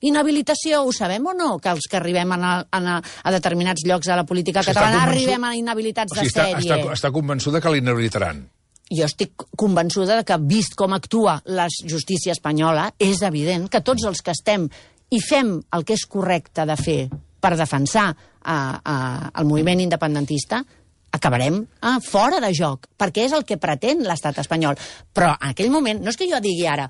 B: Inhabilitació, ho sabem o no? Que els que arribem a determinats llocs de la política catalana arribem a inhabilitats de sèrie.
A: Està convençuda que l'inhabilitaran.
B: Jo estic convençuda que, vist com actua la justícia espanyola, és evident que tots els que estem i fem el que és correcte de fer per defensar el moviment independentista, acabarem fora de joc, perquè és el que pretén l'estat espanyol. Però en aquell moment, no és que jo digui ara,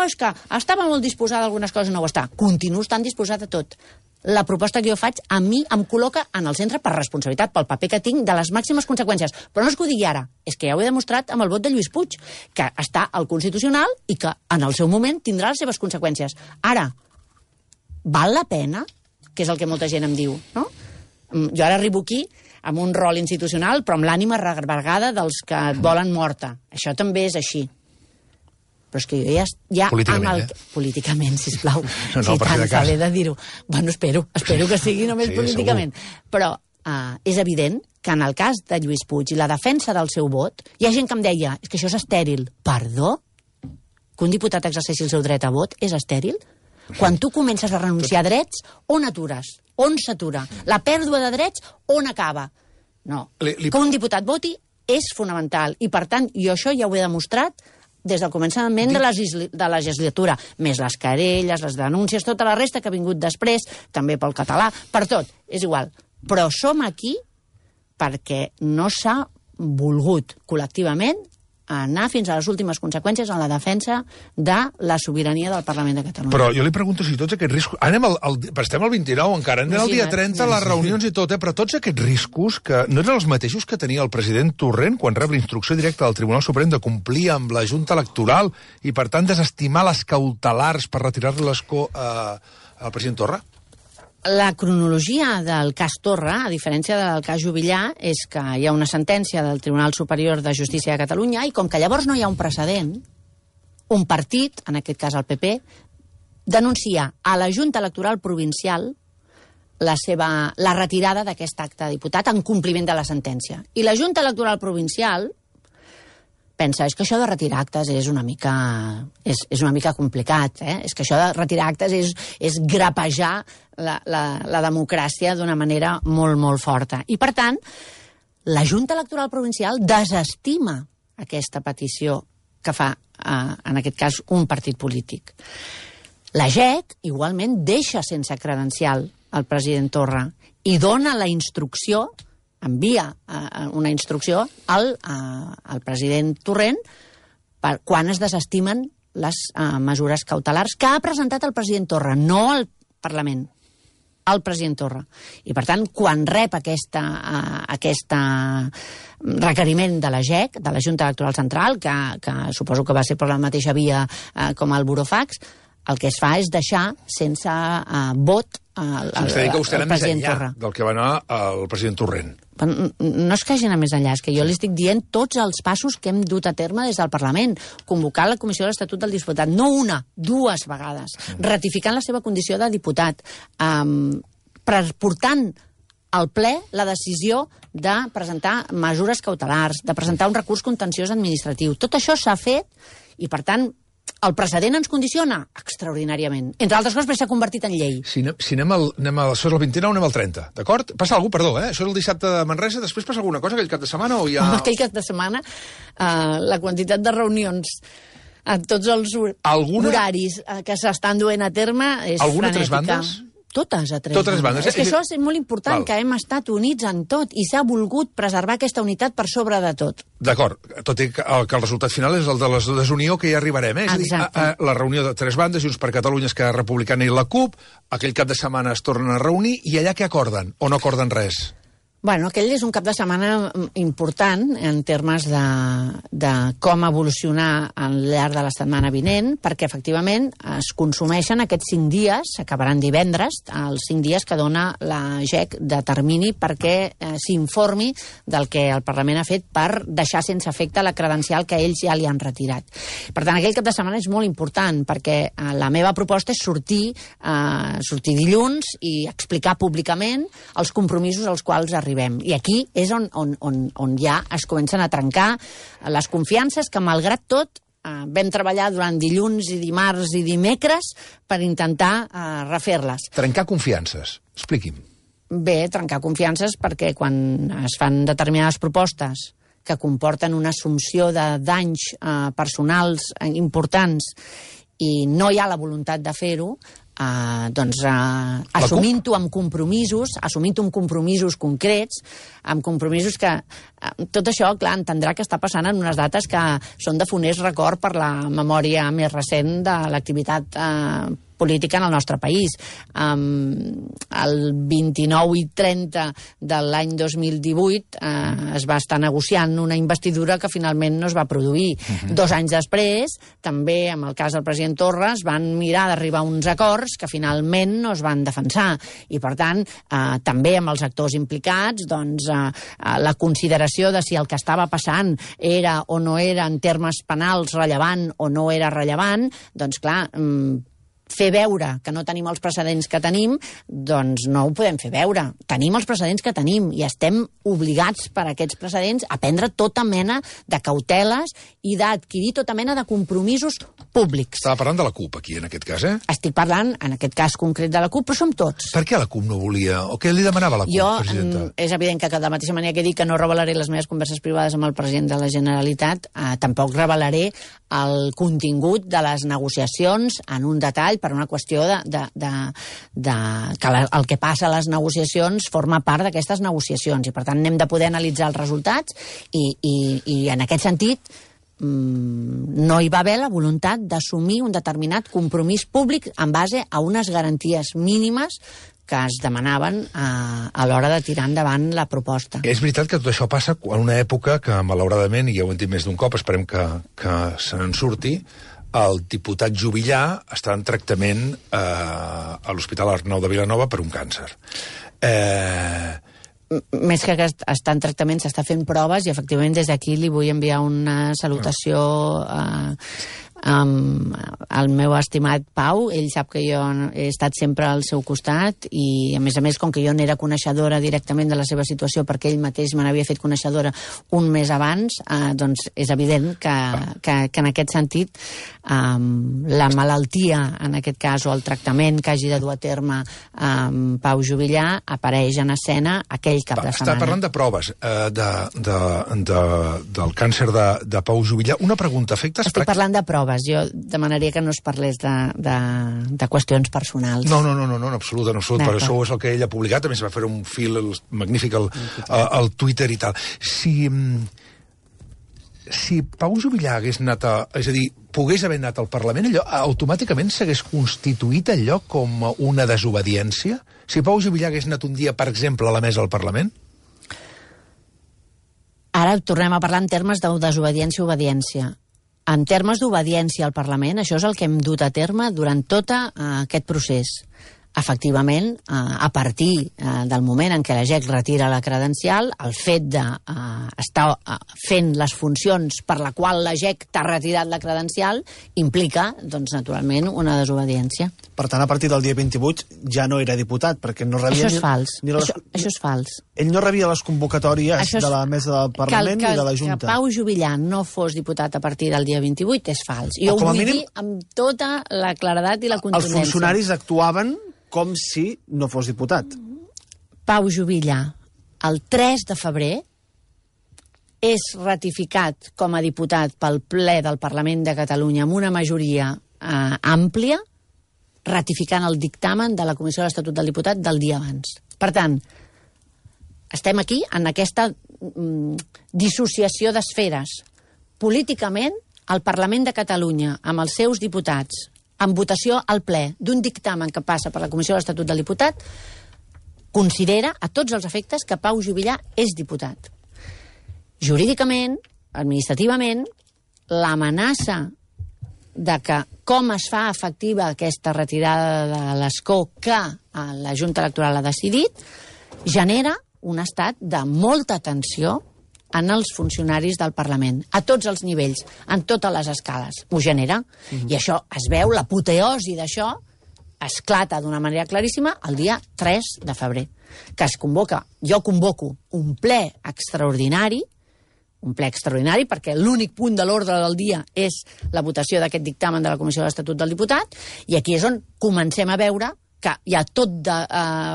B: és que estava molt disposada a algunes coses, no ho està. Continuo estant disposada a tot. La proposta que jo faig, a mi em col·loca en el centre per responsabilitat, pel paper que tinc, de les màximes conseqüències. Però no és que ho digui ara, és que ja ho he demostrat amb el vot de Lluís Puig, que està al Constitucional i que en el seu moment tindrà les seves conseqüències. Ara, val la pena? Que és el que molta gent em diu, no? Jo ara arribo aquí amb un rol institucional, però amb l'ànima revergada dels que et volen morta. Això també és així. Però és que jo ja
A: políticament,
B: políticament, sisplau.
A: No,
B: si tant s'ha de dir-ho. Bueno, espero que sigui només políticament. Segur. Però és evident que en el cas de Lluís Puig i la defensa del seu vot, hi ha gent que em deia, és que això és estèril. Perdó? Que un diputat exerceixi el seu dret a vot és estèril? Quan tu comences a renunciar a drets, on atures? On s'atura? La pèrdua de drets, on acaba? No. Que un diputat voti és fonamental. I, per tant, jo això ja ho he demostrat des del començament de la legislatura. Més les querelles, les denúncies, tota la resta que ha vingut després, també pel català, per tot. És igual. Però som aquí perquè no s'ha volgut col·lectivament anar fins a les últimes conseqüències en la defensa de la sobirania del Parlament de Catalunya.
A: Però jo li pregunto si tots aquests riscos... Estem al 29 encara, anem al dia 30, les reunions i tot, però tots aquests riscos, que no eren els mateixos que tenia el president Torrent quan rep la instrucció directa del Tribunal Suprem de complir amb la Junta Electoral i, per tant, desestimar les cautelars per retirar-li l'escó al president Torra?
B: La cronologia del cas Torra, a diferència del cas Juvillà, és que hi ha una sentència del Tribunal Superior de Justícia de Catalunya i com que llavors no hi ha un precedent, un partit, en aquest cas el PP, denuncia a la Junta Electoral Provincial la retirada d'aquest acte de diputat en compliment de la sentència. I la Junta Electoral Provincial pensa, és que això de retirar actes és una mica complicat, és que això de retirar actes és grapejar la democràcia d'una manera molt, molt forta. I, per tant, la Junta Electoral Provincial desestima aquesta petició que fa, en aquest cas, un partit polític. La JEC, igualment, deixa sense credencial el president Torra i dona la instrucció, envia una instrucció al president Torrent per quan es desestimen les mesures cautelars que ha presentat el president Torra, no al Parlament, al president Torra. I, per tant, quan rep aquest requeriment de la JEC, de la Junta Electoral Central, que suposo que va ser per la mateixa via com el burofax, el que es fa és deixar sense vot el president Torra.
A: Del que va anar el president Torrent.
B: No és que hagi anat més enllà, és que jo li estic dient tots els passos que hem dut a terme des del Parlament. Convocar la Comissió de l'Estatut del Diputat, no una, dues vegades. Ratificant la seva condició de diputat. Portant al ple la decisió de presentar mesures cautelars, de presentar un recurs contenciós administratiu. Tot això s'ha fet i, per tant, el precedent ens condiciona extraordinàriament. Entre altres coses, perquè s'ha convertit en llei.
A: Si anem això és el 29, anem al 30, d'acord? Passa alguna cosa, perdó, Això és el dissabte de Manresa, després passa alguna cosa aquell cap de setmana o ja...
B: Aquell cap de setmana, la quantitat de reunions a tots els horaris que s'estan duent a terme és
A: alguna
B: frenètica.
A: Tres bandes?
B: Totes a tres bandes. És que això és molt important, que hem estat units en tot i s'ha volgut preservar aquesta unitat per sobre de tot.
A: D'acord, tot i que el resultat final és el de la desunió que hi arribarem. És a dir, la reunió de tres bandes, Junts per Catalunya, Esquerra Republicana i la CUP, aquell cap de setmana es tornen a reunir i allà què acorden? O no acorden res?
B: Bueno, aquell és un cap de setmana important en termes de com evolucionar al llarg de la setmana vinent, perquè efectivament es consumeixen aquests 5 dies, s'acabaran divendres, els 5 dies que dona la GEC de termini perquè s'informi del que el Parlament ha fet per deixar sense efecte la credencial que ells ja li han retirat. Per tant, aquell cap de setmana és molt important perquè la meva proposta és sortir dilluns i explicar públicament els compromisos als quals arribem. I aquí és on ja es comencen a trencar les confiances que, malgrat tot, vam treballar durant dilluns i dimarts i dimecres per intentar refer-les.
A: Trencar confiances. Expliqui'm.
B: Bé, trencar confiances perquè quan es fan determinades propostes que comporten una assumpció de danys personals importants i no hi ha la voluntat de fer-ho, assumint-ho amb compromisos concrets, amb compromisos que... Tot això, clar, entendrà que està passant en unes dates que són de funest record per la memòria més recent de l'activitat política en el nostre país. El 29 i 30 de l'any 2018 es va estar negociant una investidura que finalment no es va produir. 2 anys després, també amb el cas del president Torra, es van mirar d'arribar a uns acords que finalment no es van defensar. I, per tant, també amb els actors implicats, doncs, la consideració de si el que estava passant era o no era en termes penals rellevant o no era rellevant, doncs, clar, fer veure que no tenim els precedents que tenim, doncs no ho podem fer veure. Tenim els precedents que tenim i estem obligats per aquests precedents a prendre tota mena de cauteles i d'adquirir tota mena de compromisos públics.
A: Estava parlant de la CUP aquí, en aquest cas,
B: Estic parlant, en aquest cas concret, de la CUP, però som tots.
A: Per què la CUP no volia? O què li demanava la CUP, presidenta?
B: És evident que de la mateixa manera que he dit que no revelaré les meves converses privades amb el president de la Generalitat, tampoc revelaré el contingut de les negociacions en un detall per una qüestió que el que passa a les negociacions forma part d'aquestes negociacions i, per tant, n'hem de poder analitzar els resultats i en aquest sentit no hi va haver la voluntat d'assumir un determinat compromís públic en base a unes garanties mínimes que es demanaven a l'hora de tirar endavant la proposta.
A: És veritat que tot això passa en una època que, malauradament, i ja ho hem dit més d'un cop, esperem que se n'en surti, el diputat Juvillà està en tractament a l'Hospital Arnau de Vilanova per un càncer.
B: Més que està en tractament, s'està fent proves i, efectivament, des d'aquí li vull enviar una salutació al meu estimat Pau. Ell sap que jo he estat sempre al seu costat i, a més, com que jo n'era coneixedora directament de la seva situació perquè ell mateix me n'havia fet coneixedora un mes abans, doncs és evident que en aquest sentit la malaltia, en aquest cas, o el tractament que hagi de dur a terme Pau Juvillà apareix en escena aquell cap de setmana.
A: Està parlant de proves del càncer de Pau Juvillà. Una pregunta, efectes...
B: Estic parlant de proves. Jo demanaria que no es parlés de qüestions personals.
A: No, en absolut, per això és el que ell ha publicat, a més va fer un fil magnífic al Twitter i tal. Si Pau Juvillà hagués anat és a dir, pogués haver anat al Parlament, allò automàticament s'hagués constituït allò com una desobediència? Si Pau Juvillà hagués anat un dia, per exemple, a la mesa del Parlament?
B: Ara tornem a parlar en termes de desobediència o obediència. En termes d'obediència al Parlament, això és el que hem dut a terme durant tot aquest procés. Efectivament, a partir del moment en què la GEC retira la credencial, el fet d'estar fent les funcions per la qual la GEC t'ha retirat la credencial implica, doncs, naturalment, una desobediència.
C: Per tant, a partir del dia 28 ja no era diputat, perquè no rebia...
B: Això és fals. Això és fals.
C: Ell no rebia les convocatòries de la mesa del Parlament ni de la Junta.
B: Que Pau Juvillà no fos diputat a partir del dia 28 és fals. Jo ho vull dir amb tota la claredat i la contundència.
C: Els funcionaris actuaven com si no fos diputat.
B: Pau Juvillà, el 3 de febrer, és ratificat com a diputat pel ple del Parlament de Catalunya amb una majoria àmplia, ratificant el dictamen de la Comissió de l'Estatut del Diputat del dia abans. Per tant, estem aquí en aquesta dissociació d'esferes. Políticament, el Parlament de Catalunya, amb els seus diputats, en votació al ple d'un dictamen que passa per la Comissió de l'Estatut del Diputat, considera a tots els efectes que Pau Juvillà és diputat. Jurídicament, administrativament, l'amenaça de que com es fa efectiva aquesta retirada de l'escó que la Junta Electoral ha decidit genera un estat de molta tensió en els funcionaris del Parlament, a tots els nivells, en totes les escales. Ho genera. I això es veu, l'apoteosi d'això esclata d'una manera claríssima el dia 3 de febrer, que es convoca, jo convoco un ple extraordinari perquè l'únic punt de l'ordre del dia és la votació d'aquest dictamen de la Comissió de l'Estatut del Diputat, i aquí és on comencem a veure que hi ha tot de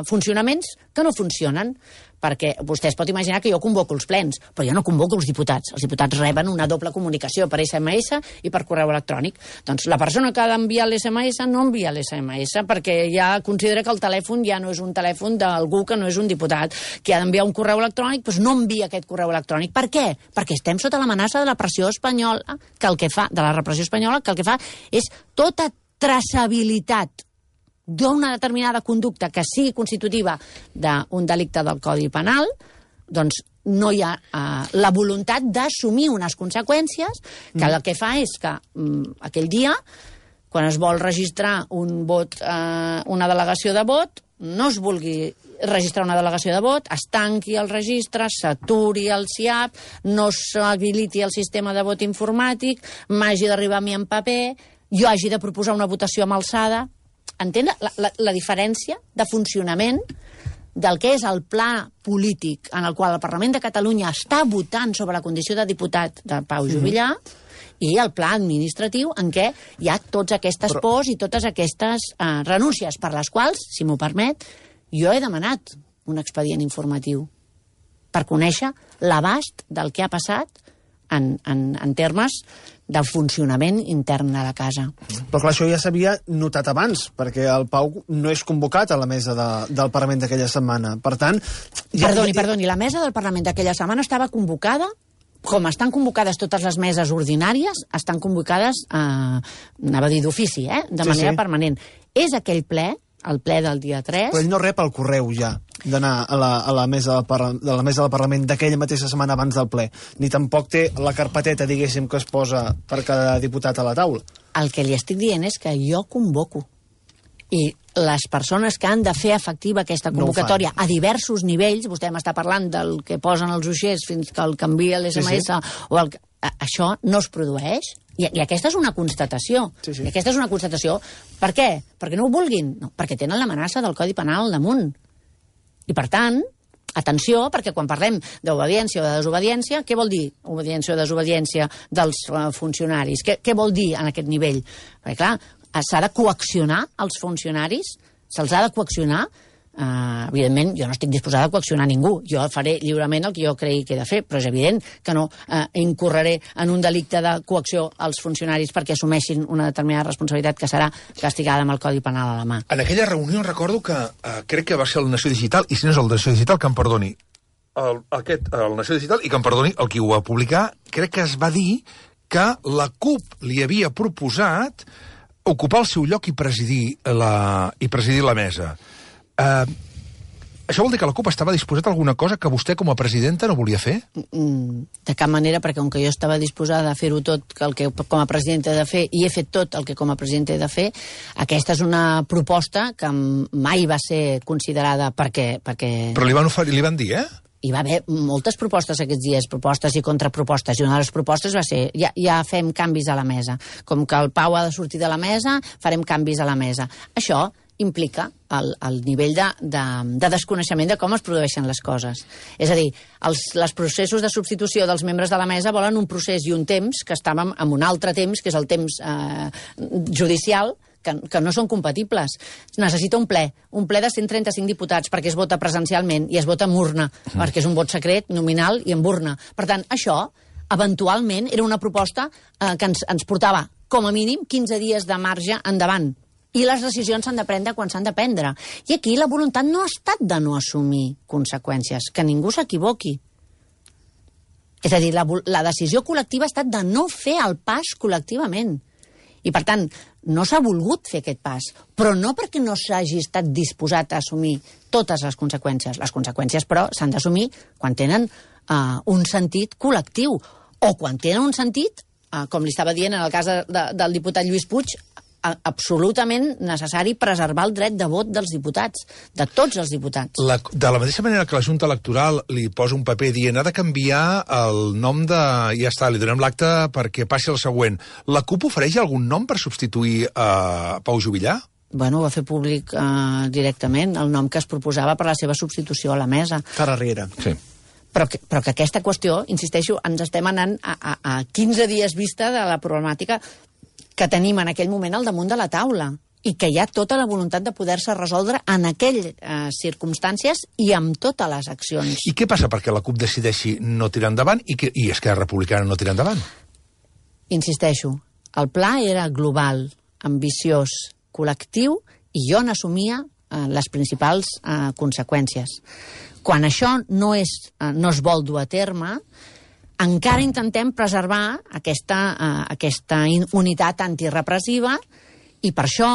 B: funcionaments que no funcionen, perquè vostè es pot imaginar que jo convoco els plens, però jo no convoco els diputats. Els diputats reben una doble comunicació per SMS i per correu electrònic. Doncs la persona que ha d'enviar l'SMS no envia l'SMS perquè ja considera que el telèfon ja no és un telèfon d'algú que no és un diputat, que ha d'enviar un correu electrònic, doncs no envia aquest correu electrònic. Per què? Perquè estem sota l'amenaça de la pressió espanyola, de la repressió espanyola, que el que fa és tota traçabilitat d'una determinada conducta que sigui constitutiva d'un delicte del Codi Penal, doncs no hi ha la voluntat d'assumir unes conseqüències que el que fa és que aquell dia, quan es vol registrar un vot, una delegació de vot, no es vulgui registrar una delegació de vot, es tanqui el registre, s'aturi el SIAP, no s'habiliti el sistema de vot informàtic, m'hagi d'arribar a mi en paper, jo hagi de proposar una votació amb alçada. Entén la diferència de funcionament del que és el pla polític en el qual el Parlament de Catalunya està votant sobre la condició de diputat de Pau Juvillà i el pla administratiu en què hi ha totes aquestes pors i totes aquestes renúncies, per les quals, si m'ho permet, jo he demanat un expedient informatiu per conèixer l'abast del que ha passat en termes del funcionament intern de la casa.
C: Però clar, això ja s'havia notat abans, perquè el Pau no és convocat a la mesa del Parlament d'aquella setmana. Per tant...
B: Perdoni, la mesa del Parlament d'aquella setmana estava convocada, com estan convocades totes les meses ordinàries, estan convocades, anava a dir d'ofici, de manera permanent. És aquell ple, el ple del dia 3...
C: Però ell no rep el correu ja d'anar a la mesa del Parlament d'aquella mateixa setmana abans del ple, ni tampoc té la carpeteta, diguéssim, que es posa per cada diputat a la taula.
B: El que li estic dient és que jo convoco. I les persones que han de fer efectiva aquesta convocatòria a diversos nivells, vostè m'està parlant del que posen els uixers fins que el canvia l'SMS, això no es produeix. I aquesta és una constatació. I aquesta és una constatació. Per què? Perquè no ho vulguin? No, perquè tenen l'amenaça del Codi Penal damunt. I per tant, atenció, perquè quan parlem d'obediència o de desobediència, què vol dir obediència o desobediència dels funcionaris? Què vol dir en aquest nivell? Perquè clar, s'ha de coaccionar els funcionaris, se'ls ha de coaccionar. Evidentment, jo no estic disposada a coaccionar ningú. Jo faré lliurement el que jo cregui que he de fer, però és evident que no incorreré en un delicte de coacció als funcionaris perquè assumeixin una determinada responsabilitat que serà castigada amb el Codi Penal a la mà.
A: En aquella reunió recordo que crec que va ser el Nació Digital, i si no és el Nació Digital, que em perdoni, el Nació Digital, i que em perdoni el qui ho va publicar, crec que es va dir que la CUP li havia proposat ocupar el seu lloc i presidir la mesa. Això vol dir que la CUP estava disposada a alguna cosa que vostè com a presidenta no volia fer?
B: De cap manera, perquè com que jo estava disposada a fer-ho tot el que com a presidenta he de fer, i he fet tot el que com a presidenta he de fer, aquesta és una proposta que mai va ser considerada perquè...
A: Però li van dir,
B: Hi va haver moltes propostes aquests dies, propostes i contrapropostes, i una de les propostes va ser ja fem canvis a la mesa. Com que el Pau ha de sortir de la mesa, farem canvis a la mesa. Això implica el nivell de desconeixement de com es produeixen les coses. És a dir, els processos de substitució dels membres de la mesa volen un procés i un temps que estàvem en un altre temps, que és el temps judicial, que no són compatibles. Necessita un ple de 135 diputats perquè es vota presencialment i es vota amb urna, perquè és un vot secret, nominal i amb urna. Per tant, això, eventualment, era una proposta que ens portava, com a mínim, 15 dies de marge endavant. I les decisions s'han de prendre quan s'han de prendre. I aquí la voluntat no ha estat de no assumir conseqüències, que ningú s'equivoqui. És a dir, la decisió col·lectiva ha estat de no fer el pas col·lectivament. I, per tant, no s'ha volgut fer aquest pas, però no perquè no s'hagi estat disposat a assumir totes les conseqüències. Les conseqüències, però, s'han d'assumir quan tenen un sentit col·lectiu, o quan tenen un sentit, com li estava dient en el cas del diputat Lluís Puig, absolutament necessari preservar el dret de vot dels diputats, de tots els diputats.
A: De la mateixa manera que la Junta Electoral li posa un paper dient ha de canviar el nom de... Ja està, li donem l'acte perquè passi el següent. La CUP ofereix algun nom per substituir Pau Juvillà?
B: Bueno, va fer públic directament el nom que es proposava per la seva substitució a la mesa.
C: Carles Riera.
A: Sí.
B: Però que aquesta qüestió, insisteixo, ens estem anant a 15 dies vista de la problemàtica que tenim en aquell moment al damunt de la taula i que hi ha tota la voluntat de poder-se resoldre en aquelles circumstàncies i amb totes les accions.
A: I què passa perquè la CUP decideixi no tirar endavant i Esquerra Republicana no tirar endavant?
B: Insisteixo, el pla era global, ambiciós, col·lectiu, i jo n'assumia les principals conseqüències. Quan això no es vol dur a terme, encara intentem preservar aquesta unitat antirepressiva i per això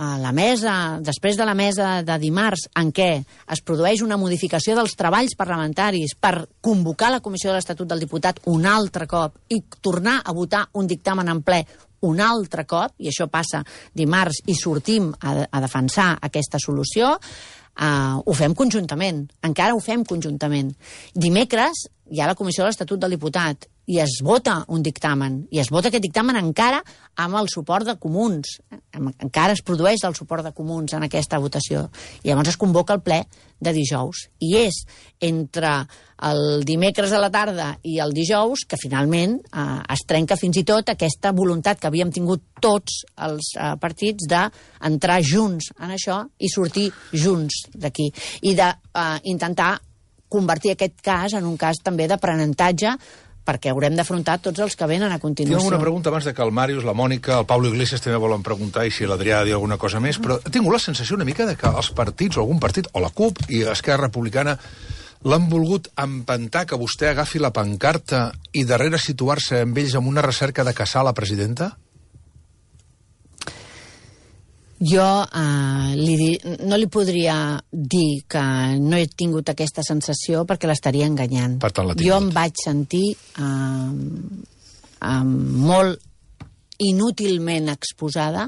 B: la mesa, després de la mesa de dimarts en què es produeix una modificació dels treballs parlamentaris per convocar la Comissió de l'Estatut del Diputat un altre cop i tornar a votar un dictamen en ple un altre cop, i això passa dimarts i sortim a defensar aquesta solució, ho fem conjuntament, encara ho fem conjuntament. Dimecres hi ha la Comissió de l'Estatut del Diputat i es vota un dictamen, i es vota aquest dictamen encara amb el suport de comuns, encara es produeix el suport de comuns en aquesta votació, i llavors es convoca el ple de dijous, i és entre el dimecres a la tarda i el dijous que finalment es trenca fins i tot aquesta voluntat que havíem tingut tots els partits d'entrar junts en això i sortir junts d'aquí, i d'intentar convertir aquest cas en un cas també d'aprenentatge perquè haurem d'afrontar tots els que venen a continuació.
A: Tinc una pregunta abans de que el Màrius, la Mònica, el Pablo Iglesias també volen preguntar i si l'Adrià ha de dir alguna cosa més, però he tingut la sensació una mica de que els partits, o algun partit, o la CUP i Esquerra Republicana, l'han volgut empantar que vostè agafi la pancarta i darrere situar-se amb ells amb una recerca de caçar la presidenta?
B: Jo no li podria dir que no he tingut aquesta sensació perquè l'estaria enganyant.
A: Per tant, l'ha tingut.
B: Jo em vaig sentir molt inútilment exposada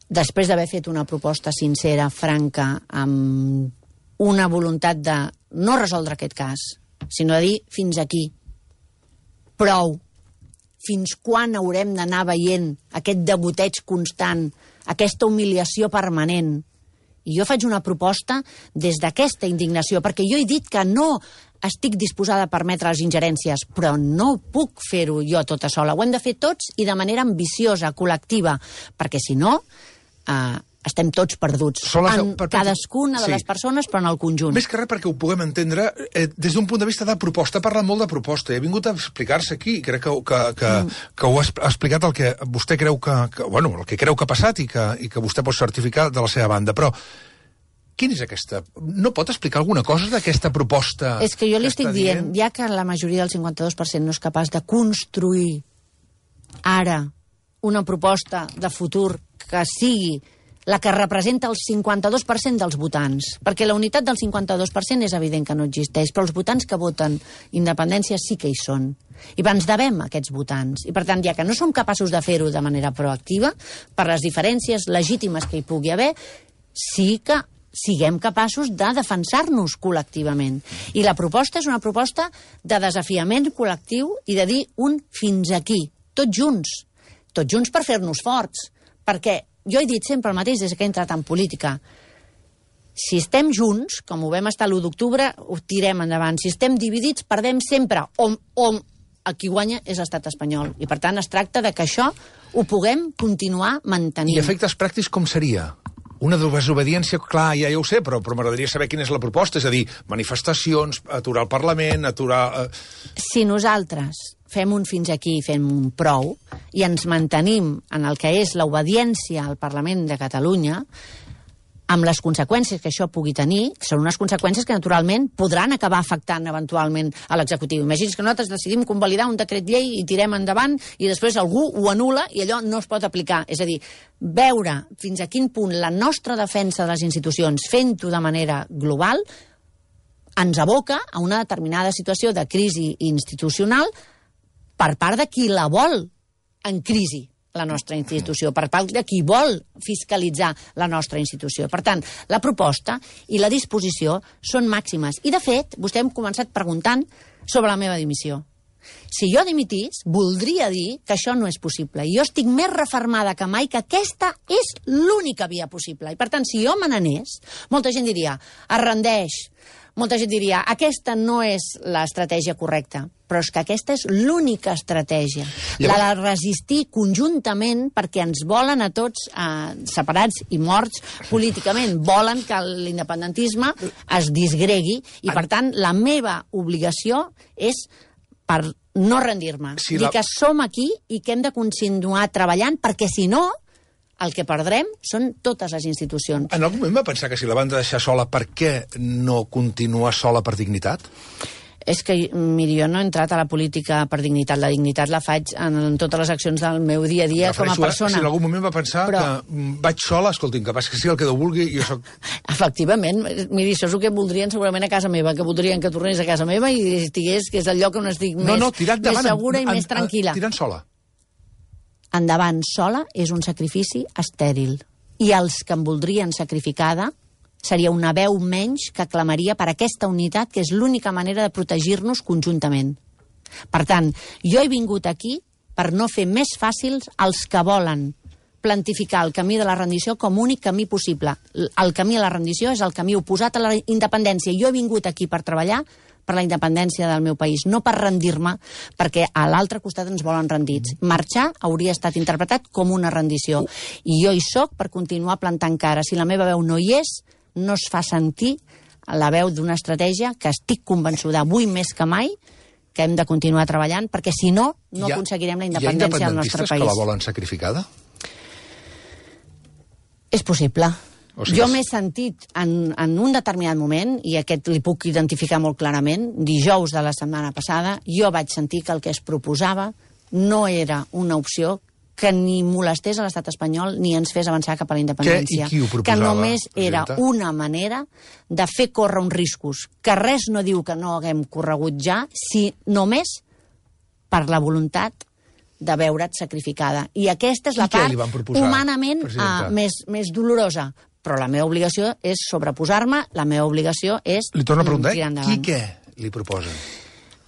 B: després d'haver fet una proposta sincera, franca, amb una voluntat de no resoldre aquest cas, sinó de dir fins aquí, prou. Fins quan haurem d'anar veient aquest degoteig constant, aquesta humiliació permanent? I jo faig una proposta des d'aquesta indignació, perquè jo he dit que no estic disposada a permetre les ingerències, però no puc fer-ho jo tota sola. Ho hem de fer tots i de manera ambiciosa, col·lectiva, perquè si no estem tots perduts, en cadascuna de les persones, però en el conjunt.
A: Més que res perquè ho puguem entendre des d'un punt de vista de proposta. Parla molt de proposta i ha vingut a explicar-se aquí. Crec que ho ha explicat el que vostè creu el que creu que ha passat i que vostè pot certificar de la seva banda. Però quina és aquesta? No pot explicar alguna cosa d'aquesta proposta?
B: És que jo li estic dient, ja que la majoria del 52% no és capaç de construir ara una proposta de futur que sigui la que representa el 52% dels votants, perquè la unitat del 52% és evident que no existeix, però els votants que voten independència sí que hi són. I ens devem a aquests votants. I per tant, ja que no som capaços de fer-ho de manera proactiva, per les diferències legítimes que hi pugui haver, sí que siguem capaços de defensar-nos col·lectivament. I la proposta és una proposta de desafiament col·lectiu i de dir un fins aquí, tots junts per fer-nos forts, perquè jo he dit sempre el mateix des que he entrat en política. Si estem junts, com ho vam estar l'1 d'octubre, ho tirem endavant. Si estem dividits, perdem sempre. El qui guanya és l'estat espanyol. I, per tant, es tracta de que això ho puguem continuar mantenint.
A: I efectes pràctics com seria? Una desobediència, clar, ja ho sé, però m'agradaria saber quina és la proposta. És a dir, manifestacions, aturar el Parlament, aturar...
B: Si nosaltres fem un fins aquí, fem un prou, i ens mantenim en el que és l'obediència al Parlament de Catalunya, amb les conseqüències que això pugui tenir, que són unes conseqüències que naturalment podran acabar afectant eventualment a l'executiu. Imagini's que nosaltres decidim convalidar un decret llei i tirem endavant i després algú ho anul·la i allò no es pot aplicar. És a dir, veure fins a quin punt la nostra defensa de les institucions fent-ho de manera global ens aboca a una determinada situació de crisi institucional per part de qui la vol en crisi, la nostra institució, per part de qui vol fiscalitzar la nostra institució. Per tant, la proposta i la disposició són màximes. I, de fet, vostè hem començat preguntant sobre la meva dimissió. Si jo dimitís, voldria dir que això no és possible. I jo estic més refermada que mai que aquesta és l'única via possible. I, per tant, si jo me n'anés, molta gent diria, es rendeix. Molta gent diria, aquesta no és l'estratègia correcta, però és que aquesta és l'única estratègia. La de resistir conjuntament perquè ens volen a tots separats i morts políticament. Volen que l'independentisme es disgregui i, per tant, la meva obligació és per no rendir-me. Dir que som aquí i que hem de continuar treballant perquè, si no, el que perdrem són totes les institucions.
A: En algun moment va pensar que si la van deixar sola, per què no continua sola per dignitat?
B: És que, miri, jo no he entrat a la política per dignitat. La dignitat la faig en totes les accions del meu dia a dia com a persona.
A: Si en algun moment va pensar que vaig sola, escolti'm, que pas que sigui el que Déu vulgui, jo soc...
B: Efectivament. Miri, això és el que voldrien segurament a casa meva, que voldrien que tornés a casa meva i estigués, que és el lloc on estic més segura i més tranquil·la.
A: Tirant sola.
B: Endavant sola és un sacrifici estèril. I els que em voldrien sacrificada seria una veu menys que clamaria per aquesta unitat, que és l'única manera de protegir-nos conjuntament. Per tant, jo he vingut aquí per no fer més fàcils els que volen plantificar el camí de la rendició com únic camí possible. El camí a la rendició és el camí oposat a la independència. Jo he vingut aquí per treballar per la independència del meu país, no per rendir-me, perquè a l'altre costat ens volen rendits. Marxar hauria estat interpretat com una rendició. I jo hi soc per continuar plantant cara. Si la meva veu no hi és, no es fa sentir la veu d'una estratègia que estic convençuda avui més que mai que hem de continuar treballant, perquè si no, no aconseguirem la independència del nostre país.
A: Hi ha independentistes que la volen sacrificada?
B: És possible. Jo m'he sentit en un determinat moment, i aquest li puc identificar molt clarament, dijous de la setmana passada, jo vaig sentir que el que es proposava no era una opció que ni molestés a l'estat espanyol ni ens fes avançar cap a la independència.
A: Què i qui ho proposava,
B: que només era
A: presidenta?
B: una manera de fer córrer uns riscos, que res no diu que no haguem corregut ja, si només per la voluntat de veure't sacrificada. I aquesta és la part humanament més dolorosa. Però la meva obligació és sobreposar-me, la meva obligació és
A: li torno a preguntar,
B: tirar endavant.
A: Qui què li proposen?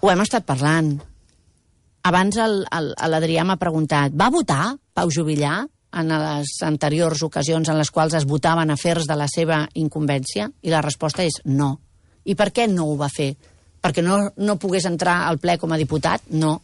B: Ho hem estat parlant. Abans l'Adrià m'ha preguntat, va votar Pau Juvillà en les anteriors ocasions en les quals es votaven afers de la seva incumbència? I la resposta és no. I per què no ho va fer? Perquè no pogués entrar al ple com a diputat? No.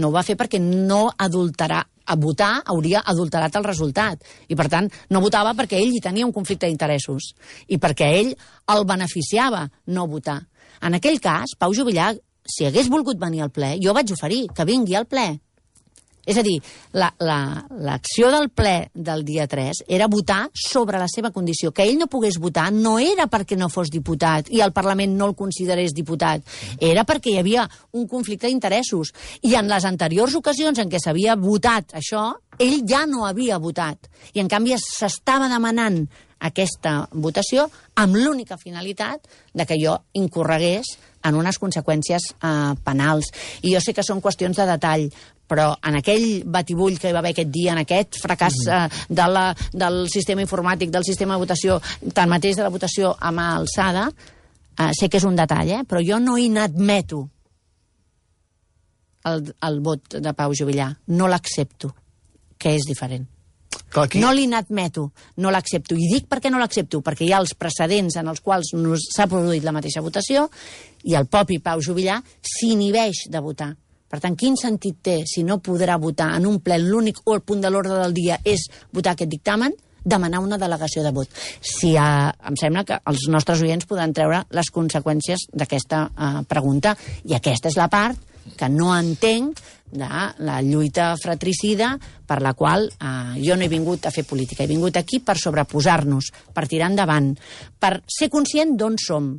B: No ho va fer perquè no adulterà. A votar hauria adulterat el resultat. I, per tant, no votava perquè ell hi tenia un conflicte d'interessos. I perquè ell el beneficiava no votar. En aquell cas, Pau Juvillà, si hagués volgut venir al ple, jo vaig oferir que vingui al ple. És a dir, l'acció del ple del dia 3 era votar sobre la seva condició. Que ell no pogués votar no era perquè no fos diputat i el Parlament no el considerés diputat. Era perquè hi havia un conflicte d'interessos. I en les anteriors ocasions en què s'havia votat això, ell ja no havia votat. I, en canvi, s'estava demanant aquesta votació amb l'única finalitat de que jo incorregués en unes conseqüències penals. I jo sé que són qüestions de detall, però en aquell batibull que hi va haver aquest dia, en aquest fracàs del sistema informàtic, del sistema de votació, tanmateix de la votació a mà alçada, sé que és un detall, però jo no inadmeto el vot de Pau Juvillà. No l'accepto, que és diferent. No l'inadmeto, no l'accepto. I dic per què no l'accepto, perquè hi ha els precedents en els quals s'ha produït la mateixa votació i el propi Pau Juvillà s'inhibeix de votar. Per tant, quin sentit té, si no podrà votar en un ple, l'únic o el punt de l'ordre del dia és votar aquest dictamen, demanar una delegació de vot? Si em sembla que els nostres oients podran treure les conseqüències d'aquesta pregunta, i aquesta és la part que no entenc de la lluita fratricida per la qual jo no he vingut a fer política. He vingut aquí per sobreposar-nos, per tirar endavant, per ser conscient d'on som,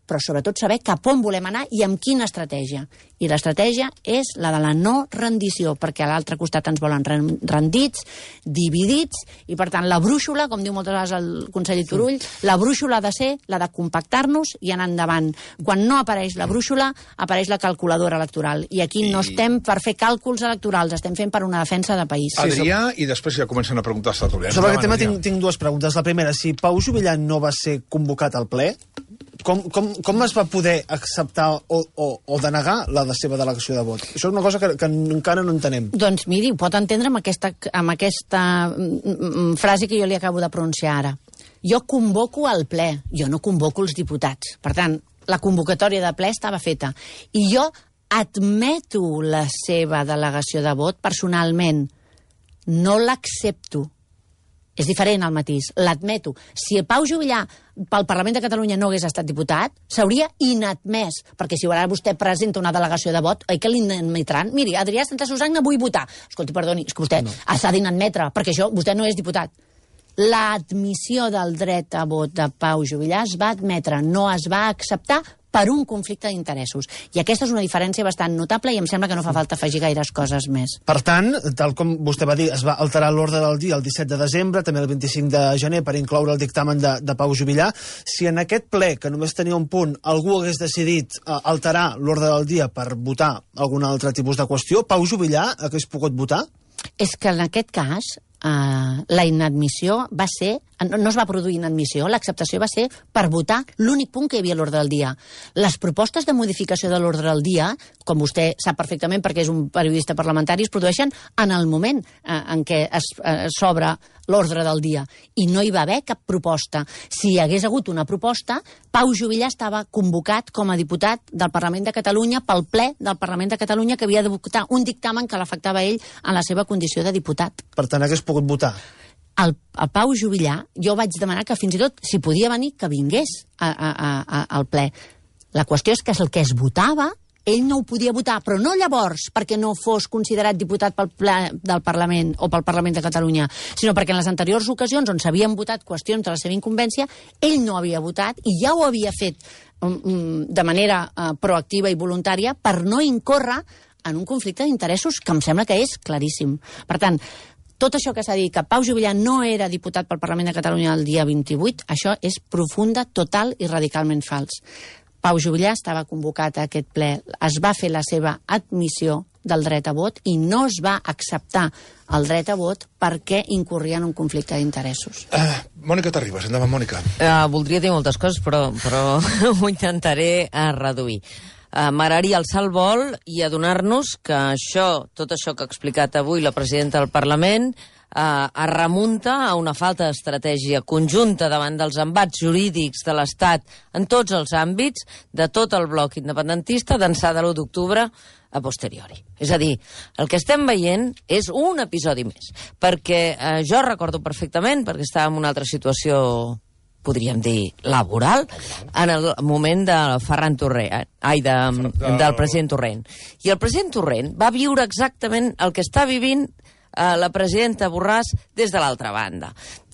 B: però sobretot saber cap on volem anar i amb quina estratègia. I l'estratègia és la de la no rendició, perquè a l'altre costat ens volen rendits, dividits, i per tant la brúixola, com diu moltes vegades el conseller Turull, la brúixola ha de ser la de compactar-nos i anar endavant. Quan no apareix la brúixola, apareix la calculadora electoral. I aquí no estem per fer càlculs electorals, estem fent per una defensa de país.
A: Adrià, i després ja comencen a preguntar els tertulians.
C: Sobre aquest tema tinc dues preguntes. La primera, si Pau Juvillà no va ser convocat al ple, com es va poder acceptar o denegar la seva delegació de vot? Això és una cosa que encara no entenem.
B: Doncs miri, ho pot entendre amb aquesta frase que jo li acabo de pronunciar ara. Jo convoco al ple, jo no convoco els diputats. Per tant, la convocatòria de ple estava feta. I jo admeto la seva delegació de vot personalment. No l'accepto. És diferent el matís, l'admeto. Si el Pau Juvillà pel Parlament de Catalunya no hagués estat diputat, s'hauria inadmès, perquè si ara vostè presenta una delegació de vot, oi que l'inadmetran? Miri, Adrià Santa Susanna vull votar. Escolti, perdoni, és que vostè s'ha d'inadmetre, perquè vostè no és diputat. L'admissió del dret a vot de Pau Juvillà es va admetre, no es va acceptar per un conflicte d'interessos. I aquesta és una diferència bastant notable i em sembla que no fa falta afegir gaires coses més.
C: Per tant, tal com vostè va dir, es va alterar l'ordre del dia el 17 de desembre, també el 25 de gener, per incloure el dictamen de Pau Juvillà. Si en aquest ple, que només tenia un punt, algú hagués decidit alterar l'ordre del dia per votar algun altre tipus de qüestió, Pau Juvillà hagués pogut votar?
B: És que en aquest cas la inadmissió va ser... No es va produir inadmissió, l'acceptació va ser per votar l'únic punt que hi havia a l'ordre del dia. Les propostes de modificació de l'ordre del dia, com vostè sap perfectament perquè és un periodista parlamentari, es produeixen en el moment en què s'obre l'ordre del dia. I no hi va haver cap proposta. Si hi hagués hagut una proposta, Pau Juvillà estava convocat com a diputat del Parlament de Catalunya pel ple del Parlament de Catalunya que havia de votar un dictamen que l'afectava a ell en la seva condició de diputat.
C: Per tant, hagués pogut votar.
B: El Pau Juvillà, jo vaig demanar que fins i tot, si podia venir, que vingués al ple. La qüestió és que el que es votava, ell no ho podia votar, però no llavors perquè no fos considerat diputat pel ple del Parlament o pel Parlament de Catalunya, sinó perquè en les anteriors ocasions on s'havien votat qüestions de la seva incumbència, ell no havia votat i ja ho havia fet de manera proactiva i voluntària per no incórrer en un conflicte d'interessos que em sembla que és claríssim. Per tant, tot això que s'ha dit, que Pau Juvillà no era diputat pel Parlament de Catalunya el dia 28, això és profunda, total i radicalment fals. Pau Juvillà estava convocat a aquest ple, es va fer la seva admissió del dret a vot i no es va acceptar el dret a vot perquè incorria en un conflicte d'interessos.
A: Mònica Terribas, endavant, Mònica.
D: Voldria dir moltes coses, però ho intentaré reduir. M'agradaria alçar el vol i adonar-nos que tot això que ha explicat avui la presidenta del Parlament es remunta a una falta d'estratègia conjunta davant dels embats jurídics de l'Estat en tots els àmbits de tot el bloc independentista d'ençà de l'1 d'octubre a posteriori. És a dir, el que estem veient és un episodi més, perquè jo recordo perfectament, perquè estava en una altra situació, podríem dir, laboral, en el moment de Ferran Torrent, del president Torrent. I el president Torrent va viure exactament el que està vivint la presidenta Borràs des de l'altra banda.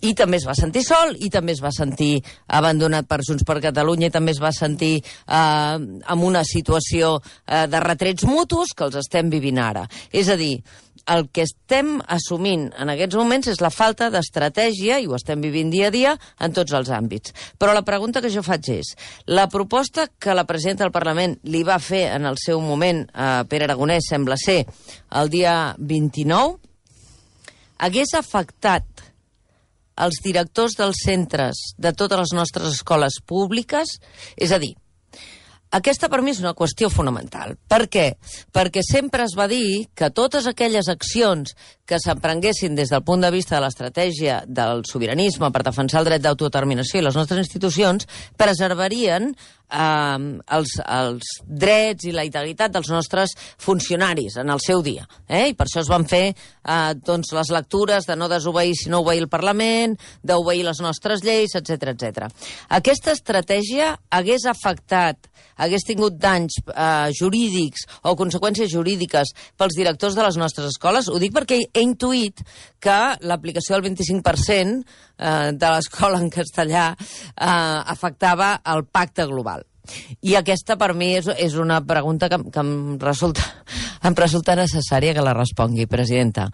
D: I també es va sentir sol, i també es va sentir abandonat per Junts per Catalunya, i també es va sentir en una situació de retrets mutus que els estem vivint ara. És a dir, el que estem assumint en aquests moments és la falta d'estratègia, i ho estem vivint dia a dia, en tots els àmbits. Però la pregunta que jo faig és, la proposta que la presidenta del Parlament li va fer en el seu moment a Pere Aragonès, sembla ser, el dia 29, hagués afectat els directors dels centres de totes les nostres escoles públiques? És a dir, aquesta per mi és una qüestió fonamental. Per què? Perquè sempre es va dir que totes aquelles accions que s'emprenguessin des del punt de vista de l'estratègia del sobiranisme per defensar el dret d'autodeterminació i les nostres institucions, preservarien els drets i la integritat dels nostres funcionaris en el seu dia. I per això es van fer doncs, les lectures de no desobeir si no obeir el Parlament, d'obeir les nostres lleis, etc etc. Aquesta estratègia hagués tingut danys jurídics o conseqüències jurídiques pels directors de les nostres escoles? Ho dic perquè he intuït que l'aplicació del 25% de l'escola en castellà afectava el pacte global. I aquesta, per mi, és una pregunta que em resulta necessària que la respongui, presidenta.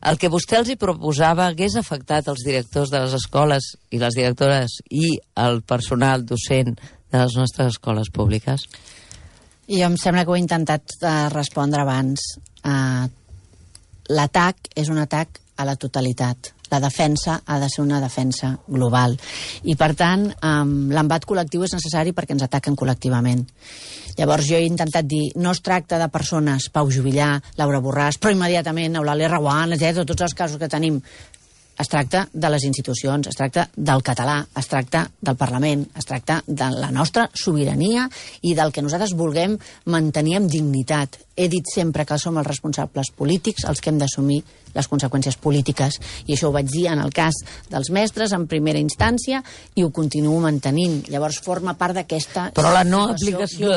D: El que vostè els hi proposava hagués afectat els directors de les escoles i les directores i el personal docent de les nostres escoles públiques?
B: Jo em sembla que ho he intentat respondre abans. L'atac és un atac a la totalitat. La defensa ha de ser una defensa global. I, per tant, l'embat col·lectiu és necessari perquè ens ataquen col·lectivament. Llavors, jo he intentat dir, no es tracta de persones, Pau Juvillà, Laura Borràs, però immediatament Eulàlia Reguant, etc., tots els casos que tenim. Es tracta de les institucions, es tracta del català, es tracta del Parlament, es tracta de la nostra sobirania i del que nosaltres vulguem mantenir amb dignitat. He dit sempre que som els responsables polítics els que hem d'assumir les conseqüències polítiques, i això ho vaig dir en el cas dels mestres en primera instància i ho continuo mantenint. Llavors forma part d'aquesta
D: situació global. Però la no aplicació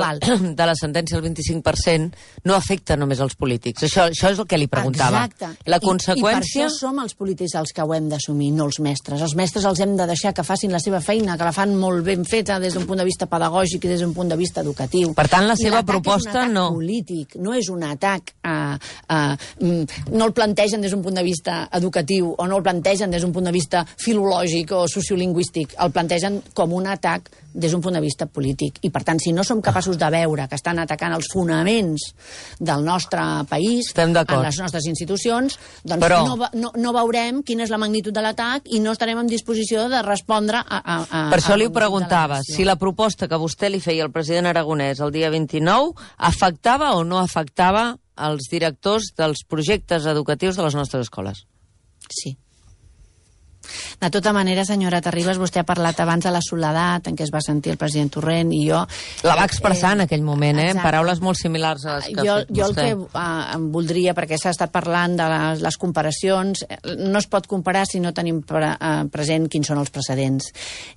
D: de la sentència del 25% no afecta només els polítics. Això és el que li preguntava.
B: Exacte.
D: La conseqüència...
B: I per això som els polítics els que ho hem d'assumir, no els mestres. Els mestres els hem de deixar que facin la seva feina, que la fan molt ben feta des d'un punt de vista pedagògic i des d'un punt de vista educatiu.
D: Per tant, la seva proposta no...
B: polític, no és un atac no el plantegen des d'un punt de vista educatiu o no el plantegen des d'un punt de vista filològic o sociolingüístic, el plantegen com un atac des d'un punt de vista polític. I, per tant, si no som capaços de veure que estan atacant els fonaments del nostre país, en les nostres institucions, doncs però... no veurem quina és la magnitud de l'atac i no estarem en disposició de respondre a
D: per això li ho preguntava, si la proposta que vostè li feia al president Aragonès el dia 29 afectava o no afectava els directors dels projectes educatius de les nostres escoles.
B: Sí. De tota manera, senyora Terribas, vostè ha parlat abans de la soledat en què es va sentir el president Torrent i jo...
D: La va expressar en aquell moment, en paraules molt similars a les que ha fet vostè.
B: Jo el que em voldria, perquè s'ha estat parlant de les comparacions, no es pot comparar si no tenim present quins són els precedents.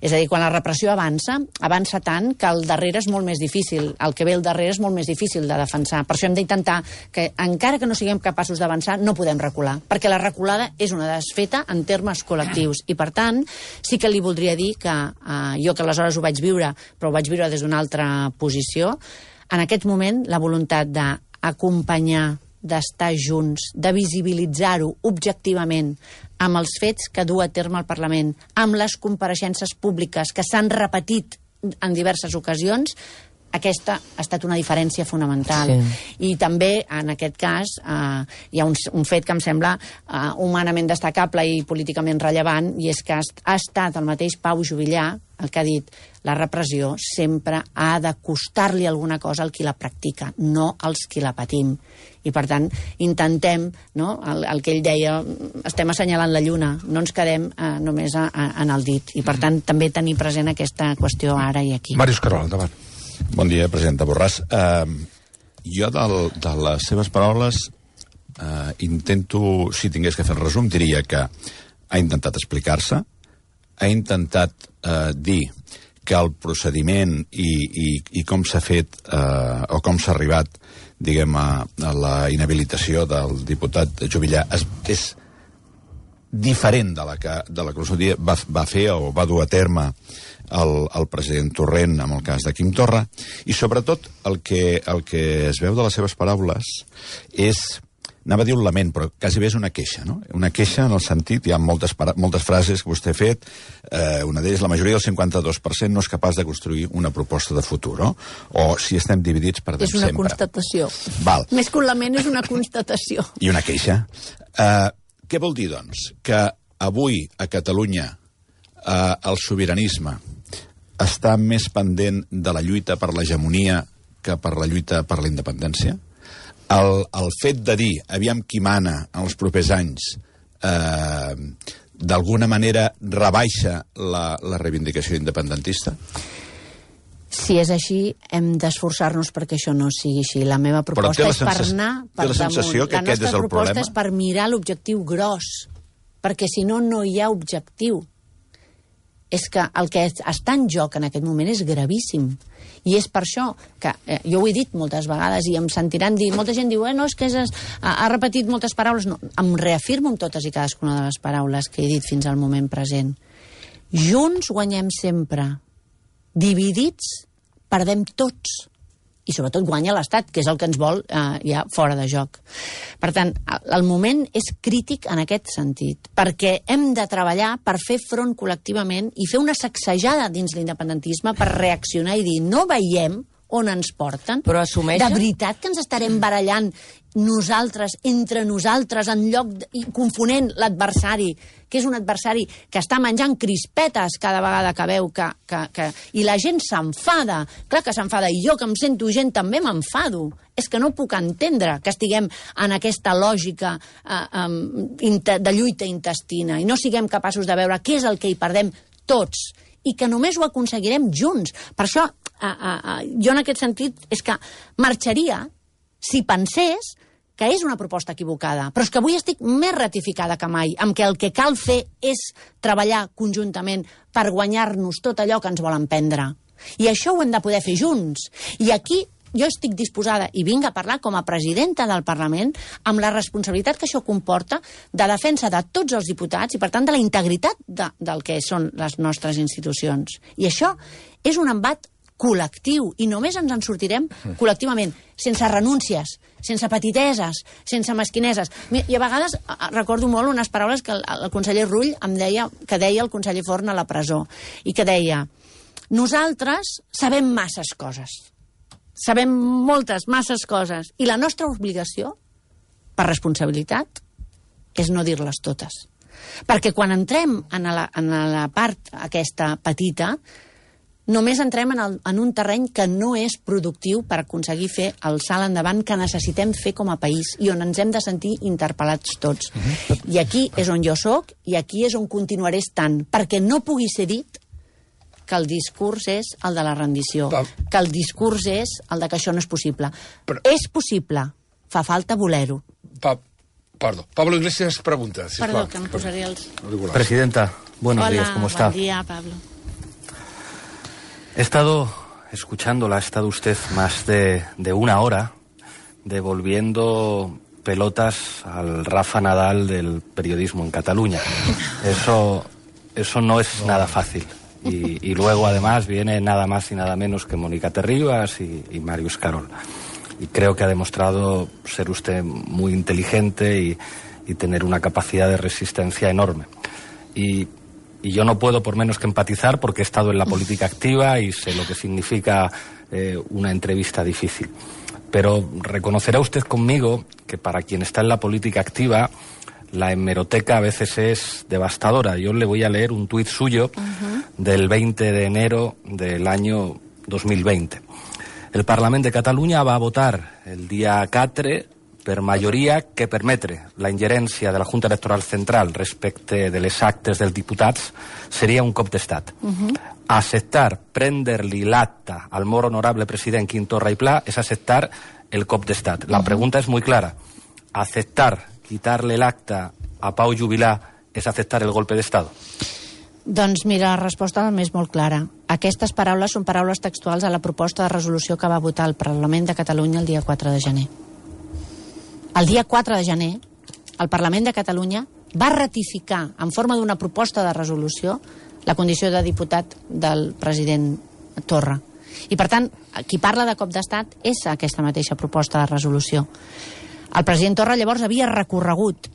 B: És a dir, quan la repressió avança tant que el darrere és molt més difícil, el que ve al darrere és molt més difícil de defensar. Per això hem d'intentar que, encara que no siguem capaços d'avançar, no podem recular, perquè la reculada és una desfeta en termes col·lectius. I, per tant, sí que li voldria dir que jo, que aleshores ho vaig viure, però ho vaig viure des d'una altra posició, en aquest moment la voluntat d'acompanyar, d'estar junts, de visibilitzar-ho objectivament amb els fets que du a terme el Parlament, amb les compareixences públiques que s'han repetit en diverses ocasions, aquesta ha estat una diferència fonamental. Sí. I també, en aquest cas, hi ha un fet que em sembla humanament destacable i políticament rellevant, i és que ha estat el mateix Pau Juvillà el que ha dit: la repressió sempre ha de costar-li alguna cosa al qui la practica, no als qui la patim. I, per tant, intentem, no? El que ell deia, estem assenyalant la lluna, no ens quedem només en el dit. I, per tant, també tenir present aquesta qüestió ara i aquí.
A: Màrius Carol, endavant.
E: Bon dia, presidenta Borràs. Jo, de les seves paraules, intento, si tingués que fer el resum, diria que ha intentat explicar-se, ha intentat dir que el procediment i com s'ha fet o com s'ha arribat, diguem, a la inhabilitació del diputat Juvillà és diferent de la que va fer o va dur a terme el president Torrent amb el cas de Quim Torra, i sobretot el que es veu de les seves paraules és, anava a dir un lament, però quasi bé és una queixa, no? Una queixa en el sentit, hi ha moltes frases que vostè ha fet, una d'elles, la majoria del 52% no és capaç de construir una proposta de futur, no? O si estem dividits perdem sempre.
B: És una constatació.
E: Val.
B: Més que un lament, és una constatació.
E: I una queixa. Què vol dir, doncs? Que avui a Catalunya el sobiranisme està més pendent de la lluita per l'hegemonia que per la lluita per la independència? el fet de dir, aviam qui mana en els propers anys, d'alguna manera rebaixa la reivindicació independentista?
B: Si és així, hem d'esforçar-nos perquè això no sigui així. La meva proposta és per anar per damunt.
E: Té la sensació que aquest és el problema?
B: La nostra proposta és per mirar l'objectiu gros, perquè si no, no hi ha objectiu. És que el que està en joc en aquest moment és gravíssim. I és per això que, jo ho he dit moltes vegades i em sentiran dir, molta gent diu, no, és que ha repetit moltes paraules. No, em reafirmo amb totes i cadascuna de les paraules que he dit fins al moment present. Junts guanyem sempre. Dividits perdem tots. I sobretot guanya l'Estat, que és el que ens vol ja fora de joc. Per tant, el moment és crític en aquest sentit, perquè hem de treballar per fer front col·lectivament i fer una sacsejada dins l'independentisme per reaccionar i dir, no veiem on ens porten.
D: Però assumeixen?
B: De veritat que ens estarem barallant nosaltres, entre nosaltres, en lloc confonent l'adversari, que és un adversari que està menjant crispetes cada vegada que veu i la gent s'enfada. Clar que s'enfada, i jo que em sento gent també m'enfado. És que no puc entendre que estiguem en aquesta lògica de lluita intestina i no siguem capaços de veure què és el que hi perdem tots i que només ho aconseguirem junts. Per això, jo en aquest sentit és que marxaria si pensés que és una proposta equivocada, però és que avui estic més ratificada que mai, amb que el que cal fer és treballar conjuntament per guanyar-nos tot allò que ens volen prendre. I això ho hem de poder fer junts. I aquí jo estic disposada, i vinc a parlar com a presidenta del Parlament, amb la responsabilitat que això comporta de defensa de tots els diputats i, per tant, de la integritat del que són les nostres institucions. I això és un embat col·lectiu, i només ens en sortirem col·lectivament, sense renúncies, sense petiteses, sense mesquineses. I a vegades recordo molt unes paraules que el conseller Rull em deia, que deia el conseller Forn a la presó, i que deia, nosaltres sabem masses coses, sabem masses coses, i la nostra obligació, per responsabilitat, és no dir-les totes. Perquè quan entrem en la part aquesta petita, només entrem en un terreny que no és productiu per aconseguir fer el salt endavant que necessitem fer com a país i on ens hem de sentir interpel·lats tots. I aquí és on jo soc i aquí és on continuaré estant, perquè no pugui ser dit que el discurs és el de la rendició, que el discurs és el de que això no és possible. És possible, fa falta voler-ho.
A: Perdó, Pablo Iglesias pregunta.
B: Perdó, que em posaré els...
F: Presidenta, buenos días, ¿cómo está?
B: Hola, buen día, Pablo.
F: He estado escuchándola, ha estado usted más de una hora devolviendo pelotas al Rafa Nadal del periodismo en Cataluña. Eso no es nada fácil. Y luego, además, viene nada más y nada menos que Mónica Terribas y Màrius Carol. Y creo que ha demostrado ser usted muy inteligente y tener una capacidad de resistencia enorme. Y yo no puedo por menos que empatizar porque he estado en la política activa y sé lo que significa una entrevista difícil. Pero reconocerá usted conmigo que para quien está en la política activa, la hemeroteca a veces es devastadora. Yo le voy a leer un tuit suyo del 20 de enero del año 2020. El Parlament de Catalunya va a votar el dia 4 per majoria que permetre la ingerència de la Junta Electoral Central respecte de les actes dels diputats seria un cop d'estat. Acceptar prendre-li l'acte al molt honorable president Quim Torra i Pla és acceptar el cop d'estat. La pregunta és molt clara. Aceptar quitarle l'acte a Pau Juvillà és acceptar el golpe d'estat?
B: Doncs mira, la resposta és molt clara. Aquestes paraules són paraules textuals a la proposta de resolució que va votar el Parlament de Catalunya el dia 4 de gener. El dia 4 de gener, el Parlament de Catalunya va ratificar, en forma d'una proposta de resolució, la condició de diputat del president Torra. I, per tant, qui parla de cop d'estat és aquesta mateixa proposta de resolució. El president Torra llavors havia recorregut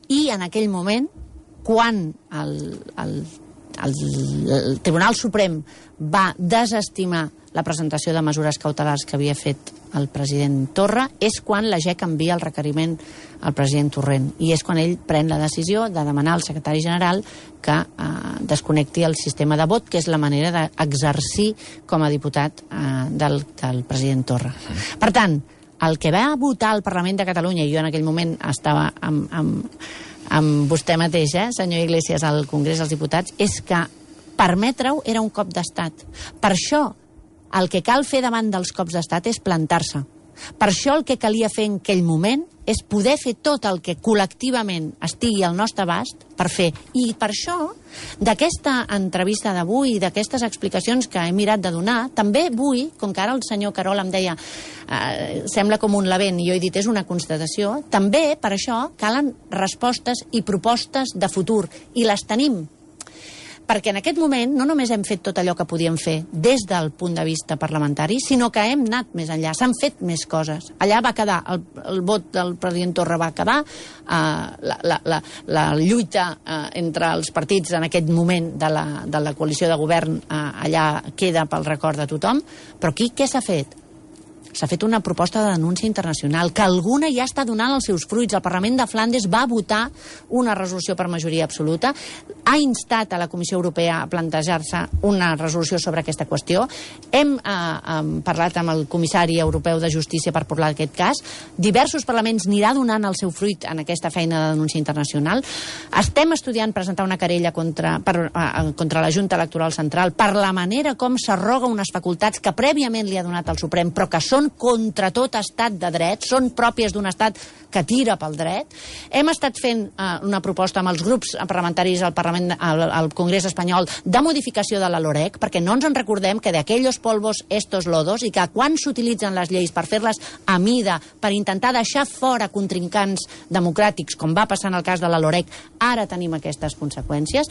B: i, en aquell moment, quan el Tribunal Suprem va desestimar la presentació de mesures cautelars que havia fet el president Torra, és quan la GEC envia el requeriment al president Torrent. I és quan ell pren la decisió de demanar al secretari general que desconnecti el sistema de vot, que és la manera d'exercir com a diputat del president Torra. Per tant, el que va votar el Parlament de Catalunya, i jo en aquell moment estava amb vostè mateix, senyor Iglesias, al Congrés dels Diputats, és que permetre-ho era un cop d'estat. Per això, el que cal fer davant dels cops d'estat és plantar-se. Per això el que calia fer en aquell moment és poder fer tot el que col·lectivament estigui al nostre abast per fer. I per això, d'aquesta entrevista d'avui, d'aquestes explicacions que he mirat de donar, també vull, com que ara el senyor Carol em deia sembla com un lavent, i jo he dit és una constatació, també per això calen respostes i propostes de futur, i les tenim. Perquè en aquest moment no només hem fet tot allò que podíem fer des del punt de vista parlamentari, sinó que hem anat més enllà, s'han fet més coses. Allà va quedar, el vot del president Torra va quedar, la lluita entre els partits en aquest moment de la coalició de govern allà queda pel record de tothom, però aquí què s'ha fet? S'ha fet una proposta de denúncia internacional, que alguna ja està donant els seus fruits. El Parlament de Flandes va votar una resolució per majoria absoluta, ha instat a la Comissió Europea a plantejar-se una resolució sobre aquesta qüestió. Hem parlat amb el comissari europeu de Justícia per parlar d'aquest cas. Diversos parlaments anirà donant el seu fruit en aquesta feina de denúncia internacional. Estem estudiant presentar una querella contra la Junta Electoral Central per la manera com s'arroga unes facultats que prèviament li ha donat el Suprem, però que són contra tot estat de dret, són pròpies d'un estat que tira pel dret. Hem estat fent una proposta amb els grups parlamentaris al Congrés espanyol de modificació de la LOREC, perquè no ens en recordem que d'aquells polvos estos lodos, i que quan s'utilitzen les lleis per fer-les a mida, per intentar deixar fora contrincants democràtics, com va passar en el cas de la LOREC, ara tenim aquestes conseqüències.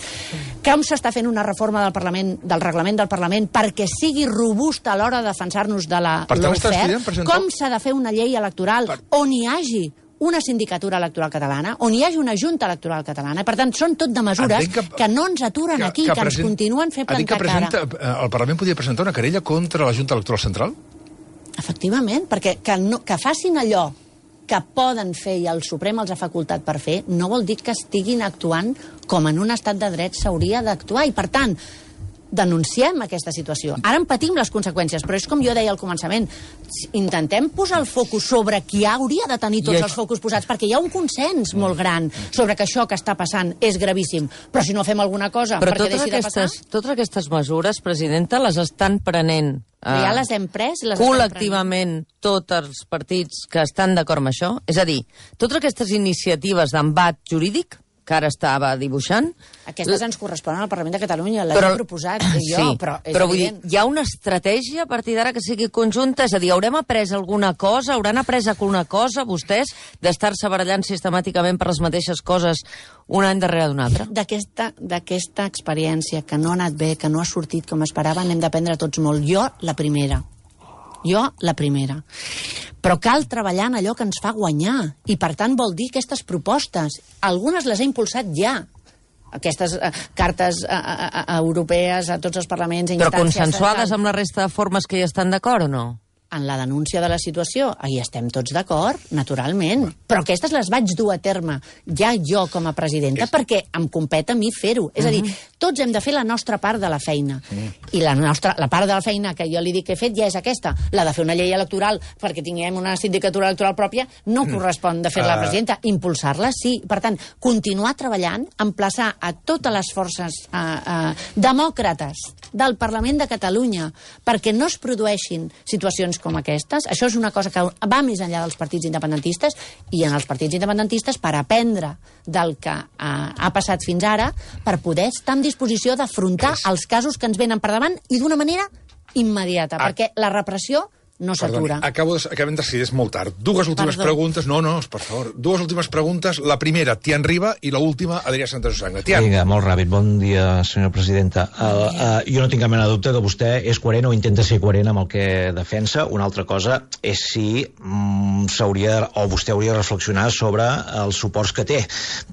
B: Com s'està fent una reforma del reglament del Parlament perquè sigui robusta a l'hora de defensar-nos de la lawfare? Com s'ha de fer una llei electoral on hi hagi una sindicatura electoral catalana, on hi hagi una junta electoral catalana. Per tant, són tot de mesures que no ens aturen aquí, que ens continuen fent plantar cara.
A: El Parlament podria presentar una querella contra la Junta Electoral Central?
B: Efectivament, perquè que facin allò que poden fer i el Suprem els ha facultat per fer, no vol dir que estiguin actuant com en un estat de dret s'hauria d'actuar. I, per tant, denunciem aquesta situació. Ara en patim les conseqüències, però és com jo deia al començament, intentem posar el focus sobre qui hauria de tenir tots els focus posats, perquè hi ha un consens molt gran sobre que això que està passant és gravíssim, però si no fem alguna cosa perquè deixi de passar...
D: Totes aquestes mesures, presidenta, les estan prenent
B: ja les hem pres,
D: col·lectivament tots els partits que estan d'acord amb això? És a dir, totes aquestes iniciatives d'embat jurídic que ara estava dibuixant...
B: Aquestes ens corresponen al Parlament de Catalunya, les he proposat jo,
D: sí,
B: però és
D: però vull dir,
B: evident.
D: hi ha una estratègia a partir d'ara que sigui conjunta? És a dir, haurem après alguna cosa, hauran après alguna cosa, vostès, d'estar-se barallant sistemàticament per les mateixes coses un any darrere d'un altre?
B: D'aquesta experiència que no ha anat bé, que no ha sortit com esperaven, n'hem d'aprendre tots molt. Jo, la primera. Però cal treballar en allò que ens fa guanyar. I, per tant, vol dir aquestes propostes. Algunes les he impulsat ja. Aquestes cartes europees a tots els parlaments i instàncies...
D: Però consensuades amb la resta de formes que hi estan d'acord o no?
B: En la denúncia de la situació, hi estem tots d'acord, naturalment. Però aquestes les vaig dur a terme ja jo com a presidenta perquè em compet a mi fer-ho. És a dir, tots hem de fer la nostra part de la feina. I la part de la feina que jo li dic que he fet ja és aquesta. La de fer una llei electoral perquè tinguem una sindicatura electoral pròpia no correspon de fer la presidenta. Impulsar-la, sí. Per tant, continuar treballant, emplaçar a totes les forces demòcrates del Parlament de Catalunya perquè no es produeixin situacions com aquestes. Això és una cosa que va més enllà dels partits independentistes i en els partits independentistes per aprendre del que ha passat fins ara per poder estar en disposició d'afrontar els casos que ens venen per davant i d'una manera immediata, perquè la repressió no s'atura.
A: Acabem de decidir, és molt tard. Dues últimes preguntes. No, per favor. Dues últimes preguntes. La primera, Tian Riba, i l'última, Adrià Santasusagna. Tian.
G: Vinga, molt ràpid. Bon dia, senyora presidenta. Jo no tinc cap mena de dubte que vostè és coherent o intenta ser coherent amb el que defensa. Una altra cosa és si vostè hauria de reflexionar sobre els suports que té,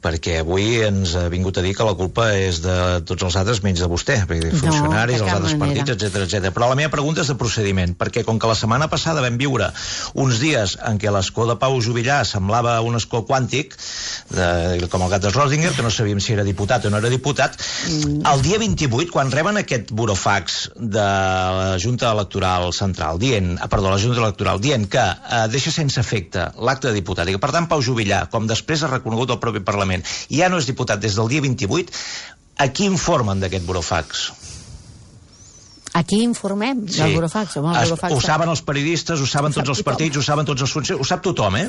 G: perquè avui ens ha vingut a dir que la culpa és de tots els altres menys de vostè, perquè de funcionaris, els altres partits, etc. Però la meva pregunta és de procediment, perquè com que la setmana passada vam viure uns dies en què l'escó de Pau Juvillà semblava un escó quàntic, com el gat de Schrödinger, que no sabíem si era diputat o no era diputat. El dia 28, quan reben aquest burofax de la Junta Electoral Central, la Junta Electoral, dient que deixa sense efecte l'acte de diputat, i que per tant Pau Juvillà, com després ha reconegut el propi Parlament, ja no és diputat des del dia 28, a qui informen d'aquest burofax?
B: Aquí informem del burofax.
G: Ho saben els periodistes, ho saben tots els partits, ho saben tots els funcionaris, ho sap tothom, eh?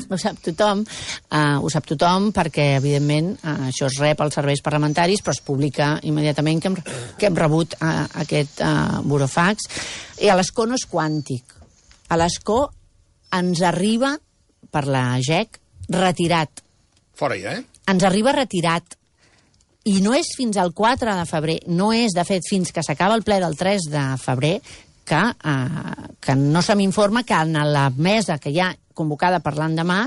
B: Ho sap tothom perquè, evidentment, això es rep als serveis parlamentaris, però es publica immediatament que hem rebut aquest burofax. I a l'escó no és quàntic. A l'escó ens arriba, per la GEC, retirat.
A: Fora ja,
B: Ens arriba retirat. I no és fins al 4 de febrer, no és, de fet, fins que s'acaba el ple del 3 de febrer, que no se m'informa que en la mesa que hi ha convocada per l'endemà,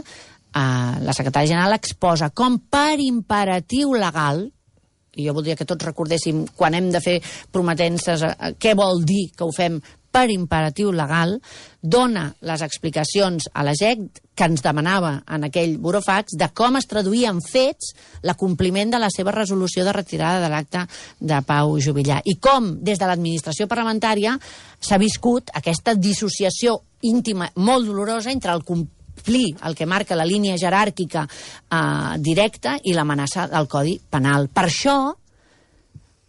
B: la secretària general exposa com per imperatiu legal, i jo voldria que tots recordéssim quan hem de fer prometences què vol dir que ho fem per imperatiu legal, dona les explicacions a la GEC que ens demanava en aquell burofax de com es traduïa en fets l'acompliment de la seva resolució de retirada de l'acte de Pau Juvillà. I com, des de l'administració parlamentària, s'ha viscut aquesta dissociació íntima molt dolorosa entre el complir el que marca la línia jeràrquica directa i l'amenaça del Codi Penal. Per això,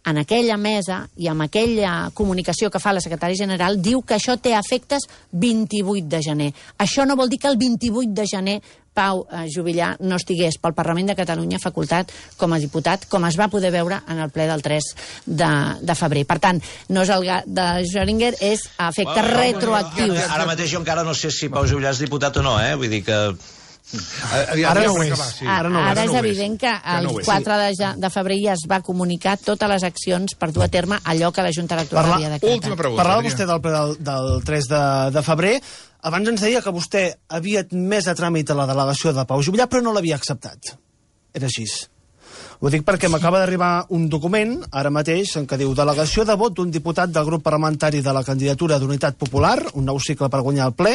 B: en aquella mesa i amb aquella comunicació que fa la secretària general, diu que això té efectes 28 de gener. Això no vol dir que el 28 de gener Pau Juvillà no estigués pel Parlament de Catalunya facultat com a diputat, com es va poder veure en el ple del 3 de febrer. Per tant, no és el gat de Schrödinger, és efectes retroactius.
G: Ara mateix jo encara no sé si Pau Juvillà és diputat o no, vull dir que...
A: Ara no ho és.
B: Ara és evident que el 4 de febrer ja es va comunicar totes les accions per dur a terme allò que la Junta Electoral havia decretat.
A: Última pregunta.
C: Parlava vostè del ple del 3 de febrer. Abans ens deia que vostè havia admès a tràmit a la delegació de Pau Juvillà, però no l'havia acceptat. Era així. Ho dic perquè m'acaba d'arribar un document, ara mateix, en què diu delegació de vot d'un diputat del grup parlamentari de la candidatura d'Unitat Popular, un nou cicle per guanyar el ple.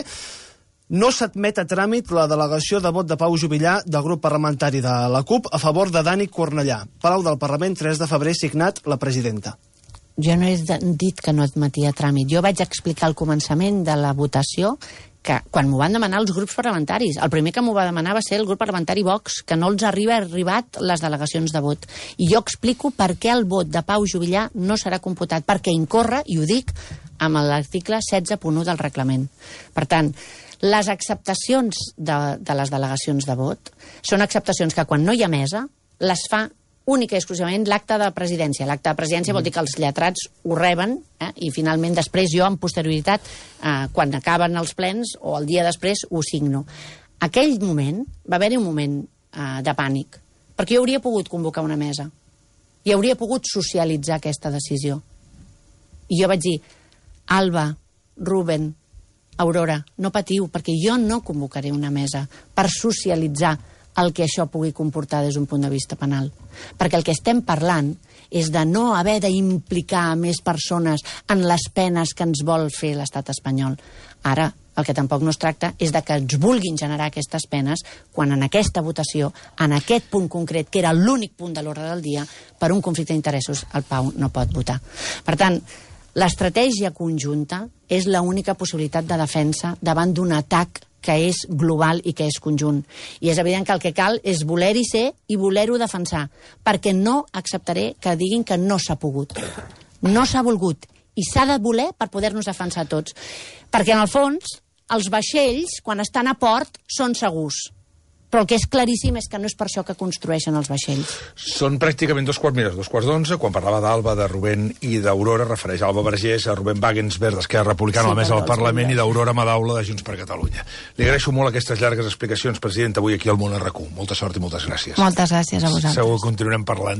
C: No s'admet a tràmit la delegació de vot de Pau Juvillà del grup parlamentari de la CUP a favor de Dani Cornellà. Palau del Parlament, 3 de febrer, signat la presidenta.
B: Jo no he dit que no admetia a tràmit. Jo vaig explicar al començament de la votació que quan m'ho van demanar els grups parlamentaris, el primer que m'ho va demanar va ser el grup parlamentari Vox, que no els arribat les delegacions de vot. I jo explico per què el vot de Pau Juvillà no serà computat, perquè incorre, i ho dic, amb l'article 16.1 del reglament. Per tant, les acceptacions de les delegacions de vot són acceptacions que quan no hi ha mesa les fa única i exclusivament l'acte de presidència. L'acte de presidència vol dir que els lletrats ho reben i finalment després jo en posterioritat, quan acaben els plens o el dia després, ho signo. Aquell moment, va haver-hi un moment de pànic, perquè jo hauria pogut convocar una mesa i hauria pogut socialitzar aquesta decisió. I jo vaig dir, Alba, Ruben, Aurora, no patiu, perquè jo no convocaré una mesa per socialitzar el que això pugui comportar des d'un punt de vista penal. Perquè el que estem parlant és de no haver d'implicar més persones en les penes que ens vol fer l'estat espanyol. Ara, el que tampoc no es tracta és de que ens vulguin generar aquestes penes quan en aquesta votació, en aquest punt concret, que era l'únic punt de l'ordre del dia, per un conflicte d'interessos, el Pau no pot votar. Per tant, l'estratègia conjunta és l'única possibilitat de defensa davant d'un atac que és global i que és conjunt. I és evident que el que cal és voler-hi ser i voler-ho defensar, perquè no acceptaré que diguin que no s'ha pogut. No s'ha volgut. I s'ha de voler per poder-nos defensar tots. Perquè, en el fons, els vaixells, quan estan a port, són segurs. Però el que és claríssim és que no és per això que construeixen els vaixells.
A: Són pràcticament 2:11, quan parlava d'Alba, de Rubén i d'Aurora, refereix a Alba Vergés, a Rubén Wagensberg, d'Esquerra Republicana, a la mesa del Parlament, i d'Aurora Madaula, de Junts per Catalunya. Li agraeixo molt aquestes llargues explicacions, president, avui aquí al Món RQ. Molta sort i moltes gràcies.
B: Moltes gràcies a vosaltres.
A: Segur que continuarem parlant.